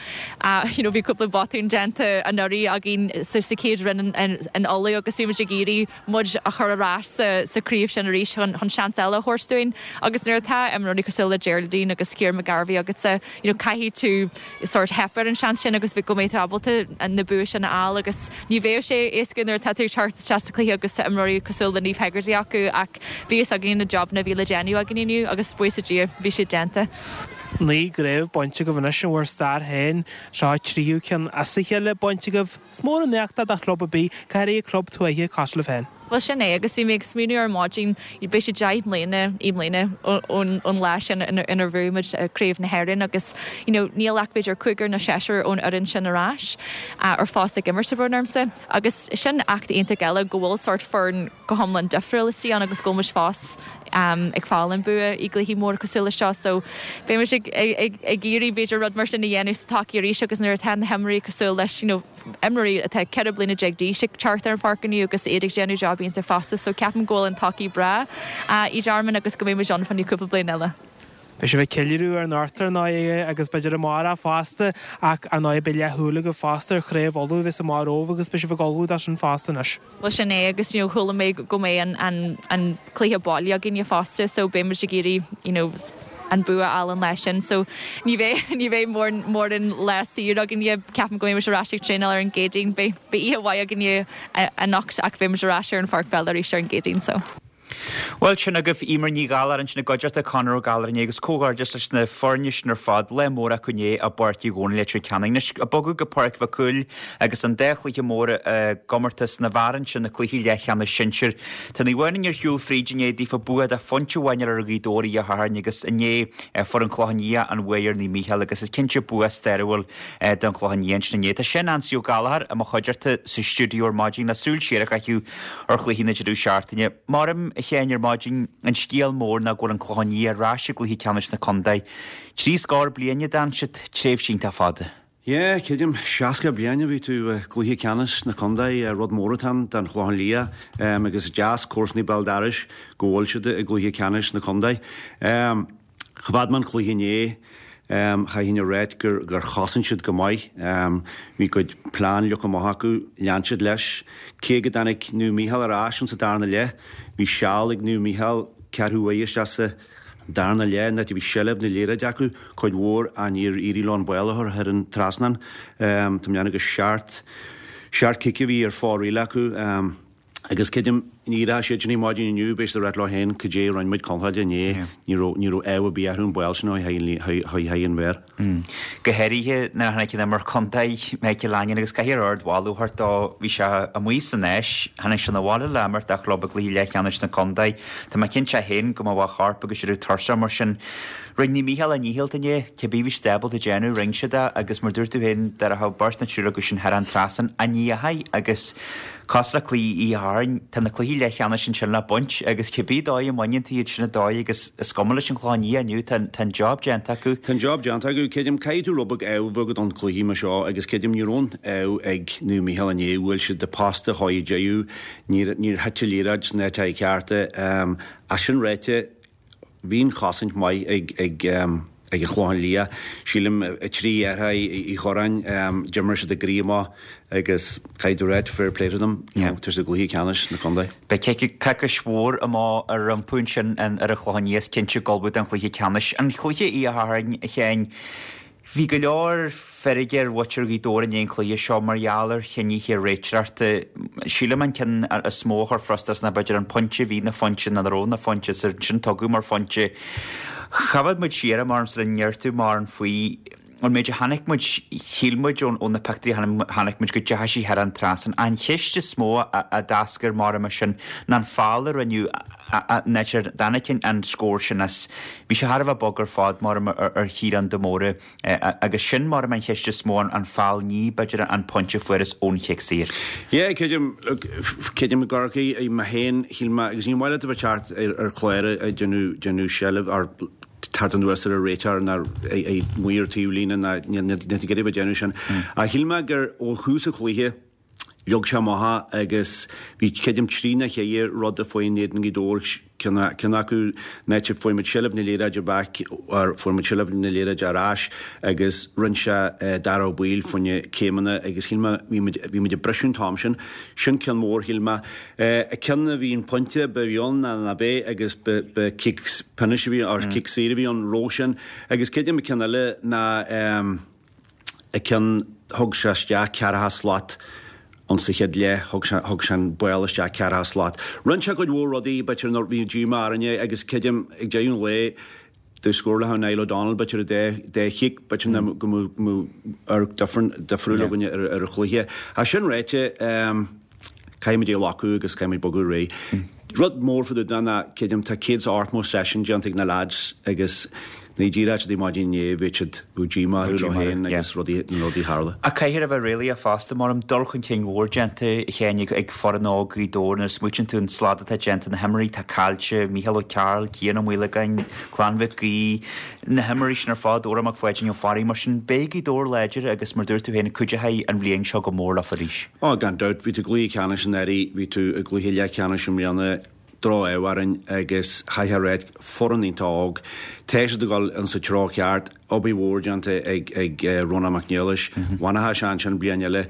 [SPEAKER 21] You know bhí cúpla botún déanta anuraidh againn sa chéad roinn in Uladh agus bhí muid ag iarraidh muid a chur ar ais sa sa chraobh sin arís chun chun seans eile a thabhairt dúinn agus nuair atá imreoirí cosúil le Geraldine agus Ciara McGarvey agatsa you know caithfidh tú sort theip ar an seans sin agus go mbeidh tú ábalta na bua sin a fháil agus ní bheadh sé éasca nuair atá tú ag teacht isteach sa chluiche agus tá imreoirí cosúil le Niamh Hegarty acu ach bhí fhios againn na jobanna a bhí le déanamh againn inniu agus buíochas le Dia bhí siad déanta.
[SPEAKER 19] Naoi gcraobh bainte agaibh anois in bhur stair féin, seo an tríú ceann as a chéile bainte agaibh. Is mór an éacht é do chlub ar bith, go háirithe club tuaithe cosúil libh féin.
[SPEAKER 21] Bhuel sin é agus bhí mé ag smaoineamh ar maidin, beidh sé deich mbliana i mbliana ón lá sin inar bhuaigh muid Craobh na hÉireann agus you know níl ach b'fhéidir cúigear nó seisear ón fhoireann sin ar ais ar fós ag imirt tá brón ormsa agus sin éacht iontach eile go bhfuil sórt foireann go hiomlán difriúil istigh ann agus go bhfuil muid fós ag fáil an bua i gcluichí móra cosúil leis seo so beidh muid ag ag ag iarraidh b'fhéidir rud mar sin a dhéanamh sa todhchaí arís agus nuair atá na himreoirí cosúil leis you know imreoirí atá ceithre bliana déag d'aois ag teacht ar an pháirc inniu agus iad ag déanamh job iontach fosta so ceapaim go bhfuil an todhchaí breá i dTearmann agus go mbeidh muid ann fá choinne cúpla bliain eile.
[SPEAKER 19] Beidh sibh ag ceiliúradh anocht ar ndóigh agus b'fhéidir amárach fosta ach ar ndóigh beidh leathshúil agaibh fosta ar Chraobh Uladh a bheas amach romhaibh agus beidh sibh ag ullmhú dó sin fosta anois.
[SPEAKER 21] Bhuel sin é agus you know chuala mé go mbeidh an an an cluiche baile againne fosta so beidh muid ag iarraidh you know an bua a fháil an lá sin so ní bheidh ní bheidh mórán mórán lá saor againne ceapaim go mbeidh muid ar ais ag traenáil ar an gCéadaoin beidh beidh oíche mhaith againne anocht ach beidh muid ar ais ar an pháirc pheile arís ar an gCéadaoin so.
[SPEAKER 1] Bhuel sin agaibh Emer Ní Ghallchóir ansin i gcuideachta Conor Ó Gallchóir inné agus comhghairdeas leis na foirne sin ar fad lá mór acu inné i bPáirc Uí Dhónaill Leitir Ceanainn. Anois ag bogadh go Páirc Mhic Cumhaill agus an dá chluiche mór i gcomórtas na bhfear ansin na cluichí leathcheannais sinsir. Tá Naomh Adhamhnáin ar shiúl fríd inné daofa bua de phointe amháin ar Ghaoth Dobhair Oíche Shathairn agus inné fuair an Clochán Liath an bhuaidh ar Naomh Mícheál agus is cinnte bua stairiúil don Chlochán Liath ansin inné. Tá Seán Ansaí Ó Gallchóir i mo chuideachta sa stiúideo ar maidin le súil siar a chaitheamh ar chluichí na deireadh seachtaine. Maram a Sheáin ar maidin an scéal mór ná go bhfuil an Clochán Liath ar ais i gcluiche ceannais na contae. Trí scór bliain a d'fhan siad, tréimhse iontach fada.
[SPEAKER 2] Yeah, creidim, seasca bliain a bhí tú i gcluiche ceannais na contae, rud mór atá ann don Chlochán Liath agus is deas comharsanaí béal dorais go bhfuil siad i gcluiche ceannais na contae. Choimhéad mé an cluiche inné, chaithfinn a ráit gur gur chosain siad go maith. Bhí a gcuid plean leagtha amach acu, lean siad leis. Cé go dtáinig Naomh Mícheál ar ais insa darna leath, bhí seal ag Naomh Mícheál ceathrú uair isteach sa darna leath, an áit a bhí seilbh na liathróide acu cuid mhór ach níor éirigh leo an ball a chur thar an trasnán. Tá mé ag déanamh gur seacht seacht cic a bhí ar fóraoil acu agus creidim ní raibh siad sin maidin inniu beidh siad ag ráit leo féin cad é a rinne muid contráilte inné, ní raibh ní raibh ádh ar bith orthu an ball sin a chur thar an mhéar.
[SPEAKER 1] Go háirithe nuair a tháinig an imreoir contae, Michael Langan, agus caithfidh ardmholadh a thabhairt dó. Bhí sé amuigh san Áis, tháinig sé 'na bhaile le imirt dá chlub i gcluiche leathcheannais na contae. Tá mé cinnte féin go mbeadh a chorp agus a raibh tuirseach mar sin. Rinne Naomh Mícheál a ndícheall inné, cibé bhí siad ábalta déanamh, rinne siad é agus mar dúirt tú féin, dá rachadh beirt nó triúr acu sin thar an trasnán, an ndeachaigh agus cosúil le cluiche Oíche Shathairn, tá na cluichí leathcheannais ansin le baint agus cibé dóigh a mbaineann tú iad sin an dóigh agus is cuma leis an Chlochán Liath inniu, tá an job déanta acu.
[SPEAKER 2] Tá an job déanta acu. Creidim, caithfidh tú rud beag ádh a bheith agat don chluiche mar seo agus creidim ní raibh an ádh ag Naomh Mícheál inné, bhuail siad an posta chóir deireadh, níor níor thit an liathróid sna áiteacha cearta. Ach sin ráite, bhí an chosaint maith ag ag ag an Chlochán Liath. Sílim trí dheartháir Uí Churráin, d'imir siad a gcroí amach agus caithfidh tú ráit fair play to them, you know, tar sa gcluiche ceannais na contae.
[SPEAKER 1] Beidh coicís mhór amach rompu ansin ar an Chlochán Liath is cinnte ag ullmhú don chluiche ceannais. An chluiche Oíche Shathairn, a Sheáin, Bhí go leor feirge ar mhuintir Ghaoth Dobhair i ndiaidh an chluiche seo mar gheall ar chinntí réiteoireachta. Sílim an ceann is mó a chuir frustrachas ná b'fhéidir an pointe a bhí ina phointe nó nach raibh ina phointe is ansin tugadh mar phointe. Choimhéad muid siar am orm sula ndeir tú mórán faoi an méid a chonaic muid, shíl muid ó na pictiúirí a chonaic muid go dteachaigh sí thar an trasnán. An cheist is mó a d'eascair mar mar sin ná an feall a rinneadh an áit ar dtáinig an scór sin as. Bhí sé thar a bheith bog ar fad mar ar Chiarán de Mórdha agus sin mar an cheist is mó an feall ní b'fhéidir an pointe a fuarthas ón chic saor.
[SPEAKER 2] Yeah, creidim, look, creidim i gCorcaigh, mé féin, shíl mé, agus ní maith leat a bheith teacht ar chlár ag déanamh, déanamh seilbh, or teacht anuas ar an réiteoir ná amuigh ar taobhlíne ná níl tú ag iarraidh a bheith ag déanamh sin. Ach shíl mé gur ó thús an chluiche leag sé amach agus bhí creidim trí nó ceithre rud a fuair in éadan Ghaoth Dobhair, ceann acu an áit a fuair muid seilbh na liathróide back or fuair muid seilbh na liathróide ar ais agus rinne sé Dara Ó Baoill fá choinne céimeanna agus shíl mé bhí muid bhí muid ag briseadh an t-am sin. Sin ceann mór shíl mé. Ceann a bhí an pointe ba bhí ann ná ná b'é agus ba ba cic pionóis a bhí or cic saor a bhí ann roimhe sin agus creidim an ceann eile ná a ceann thug sé isteach ceathracha slat ann sa chéad leath, thug sé thug sé an ball isteach ceathracha slat. Rinne sé cuid mhór rudaí b'fhéidir nuair bhí díomá orainne agus creidim ag deireadh an lae dá scórálfadh Niall O'Donnell b'fhéidir dá dá chic b'fhéidir ná go mbeadh go mbeadh amharc difriúil againne ar ar an chluiche. Ach sin ráite caithfimid é a ghlacadh agus caithfimid bogadh ar aghaidh. Rud mór fá dtaobh de ná creidim tá céad is ochtó session déanta ag na lads agus ní díreach siad maidin inné bhí siad bhí díomá orthu leo féin agus rudaí na rudaí a tharla.
[SPEAKER 1] Ach caithfear a bheith réalaíoch fosta, mar dul chun cinn mhór déanta a Sheáin ag foireann óg Ghaoth Dobhair nuair a smaoitíonn tú an slad atá déanta, na himreoirí atá caillte, Mícheál Ó Cearúil, Cian Ó Maolagáin, Clann Mhic Aoidh, na himreoirí sin ar fad, Odhrán Mac Pháidín Ó Fearraigh, mar sin beidh Gaoth Dobhair láidir agus mar dúirt tú féin cuideoidh an bhliain seo go mór leofa arís.
[SPEAKER 2] Ó, gan dabht, bhí tú i gcluiche ceannais anuraidh, bhí tú i gcluiche leathcheannais i mbliana, droch-ádh orainn agus chaithfeá a ráit, foireann iontach óg. Tá siad ag dul insa treo ceart, obair mhór déanta ag ag Rónán Mac Niallais, bhainfeadh sé ansin bliain eile.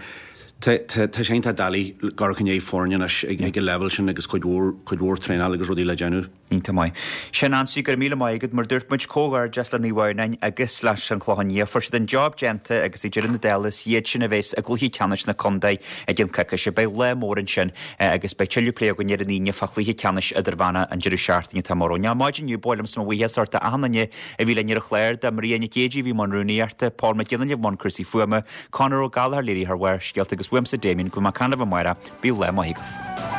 [SPEAKER 2] Tá tá tá sé iontach doiligh gabháil chun aghaidh foirne anois ag ag an leibhéal sin agus cuid mhór cuid mhór traenáil agus rudaí le déanamh.
[SPEAKER 1] Iontach maith. Sin Ansaí, go raibh míle maith agat. Mar dúirt muid, comhghairdeas le Naomh Adhamhnáin agus leis an Chlochán Liath. Fuair siad an job déanta agus ag deireadh na dála is iad sin a bheas i gcluiche ceannais na contae i gcionn coicíse. Beidh lá mór ansin agus beidh tuilleadh plé againn ar an Aoine fá chluiche ceannais idirmheánach an deireadh seachtaine atá amach romhainn. Ar maidin inniu, ba mhaith liomsa mo bhuíochas a thabhairt d'achan duine a bhí linn ar an chlár, do Maria Nic Géidigh a bhí i mbun rúnaíochta, Paul Mac Giolla i mbun cúrsaí fuaime, Conor Ó Gallchóir, léiritheoir Bharrscéalta agus uaimse Damien, go mbeidh mé ag caint libh amárach. Bíodh lá maith agaibh.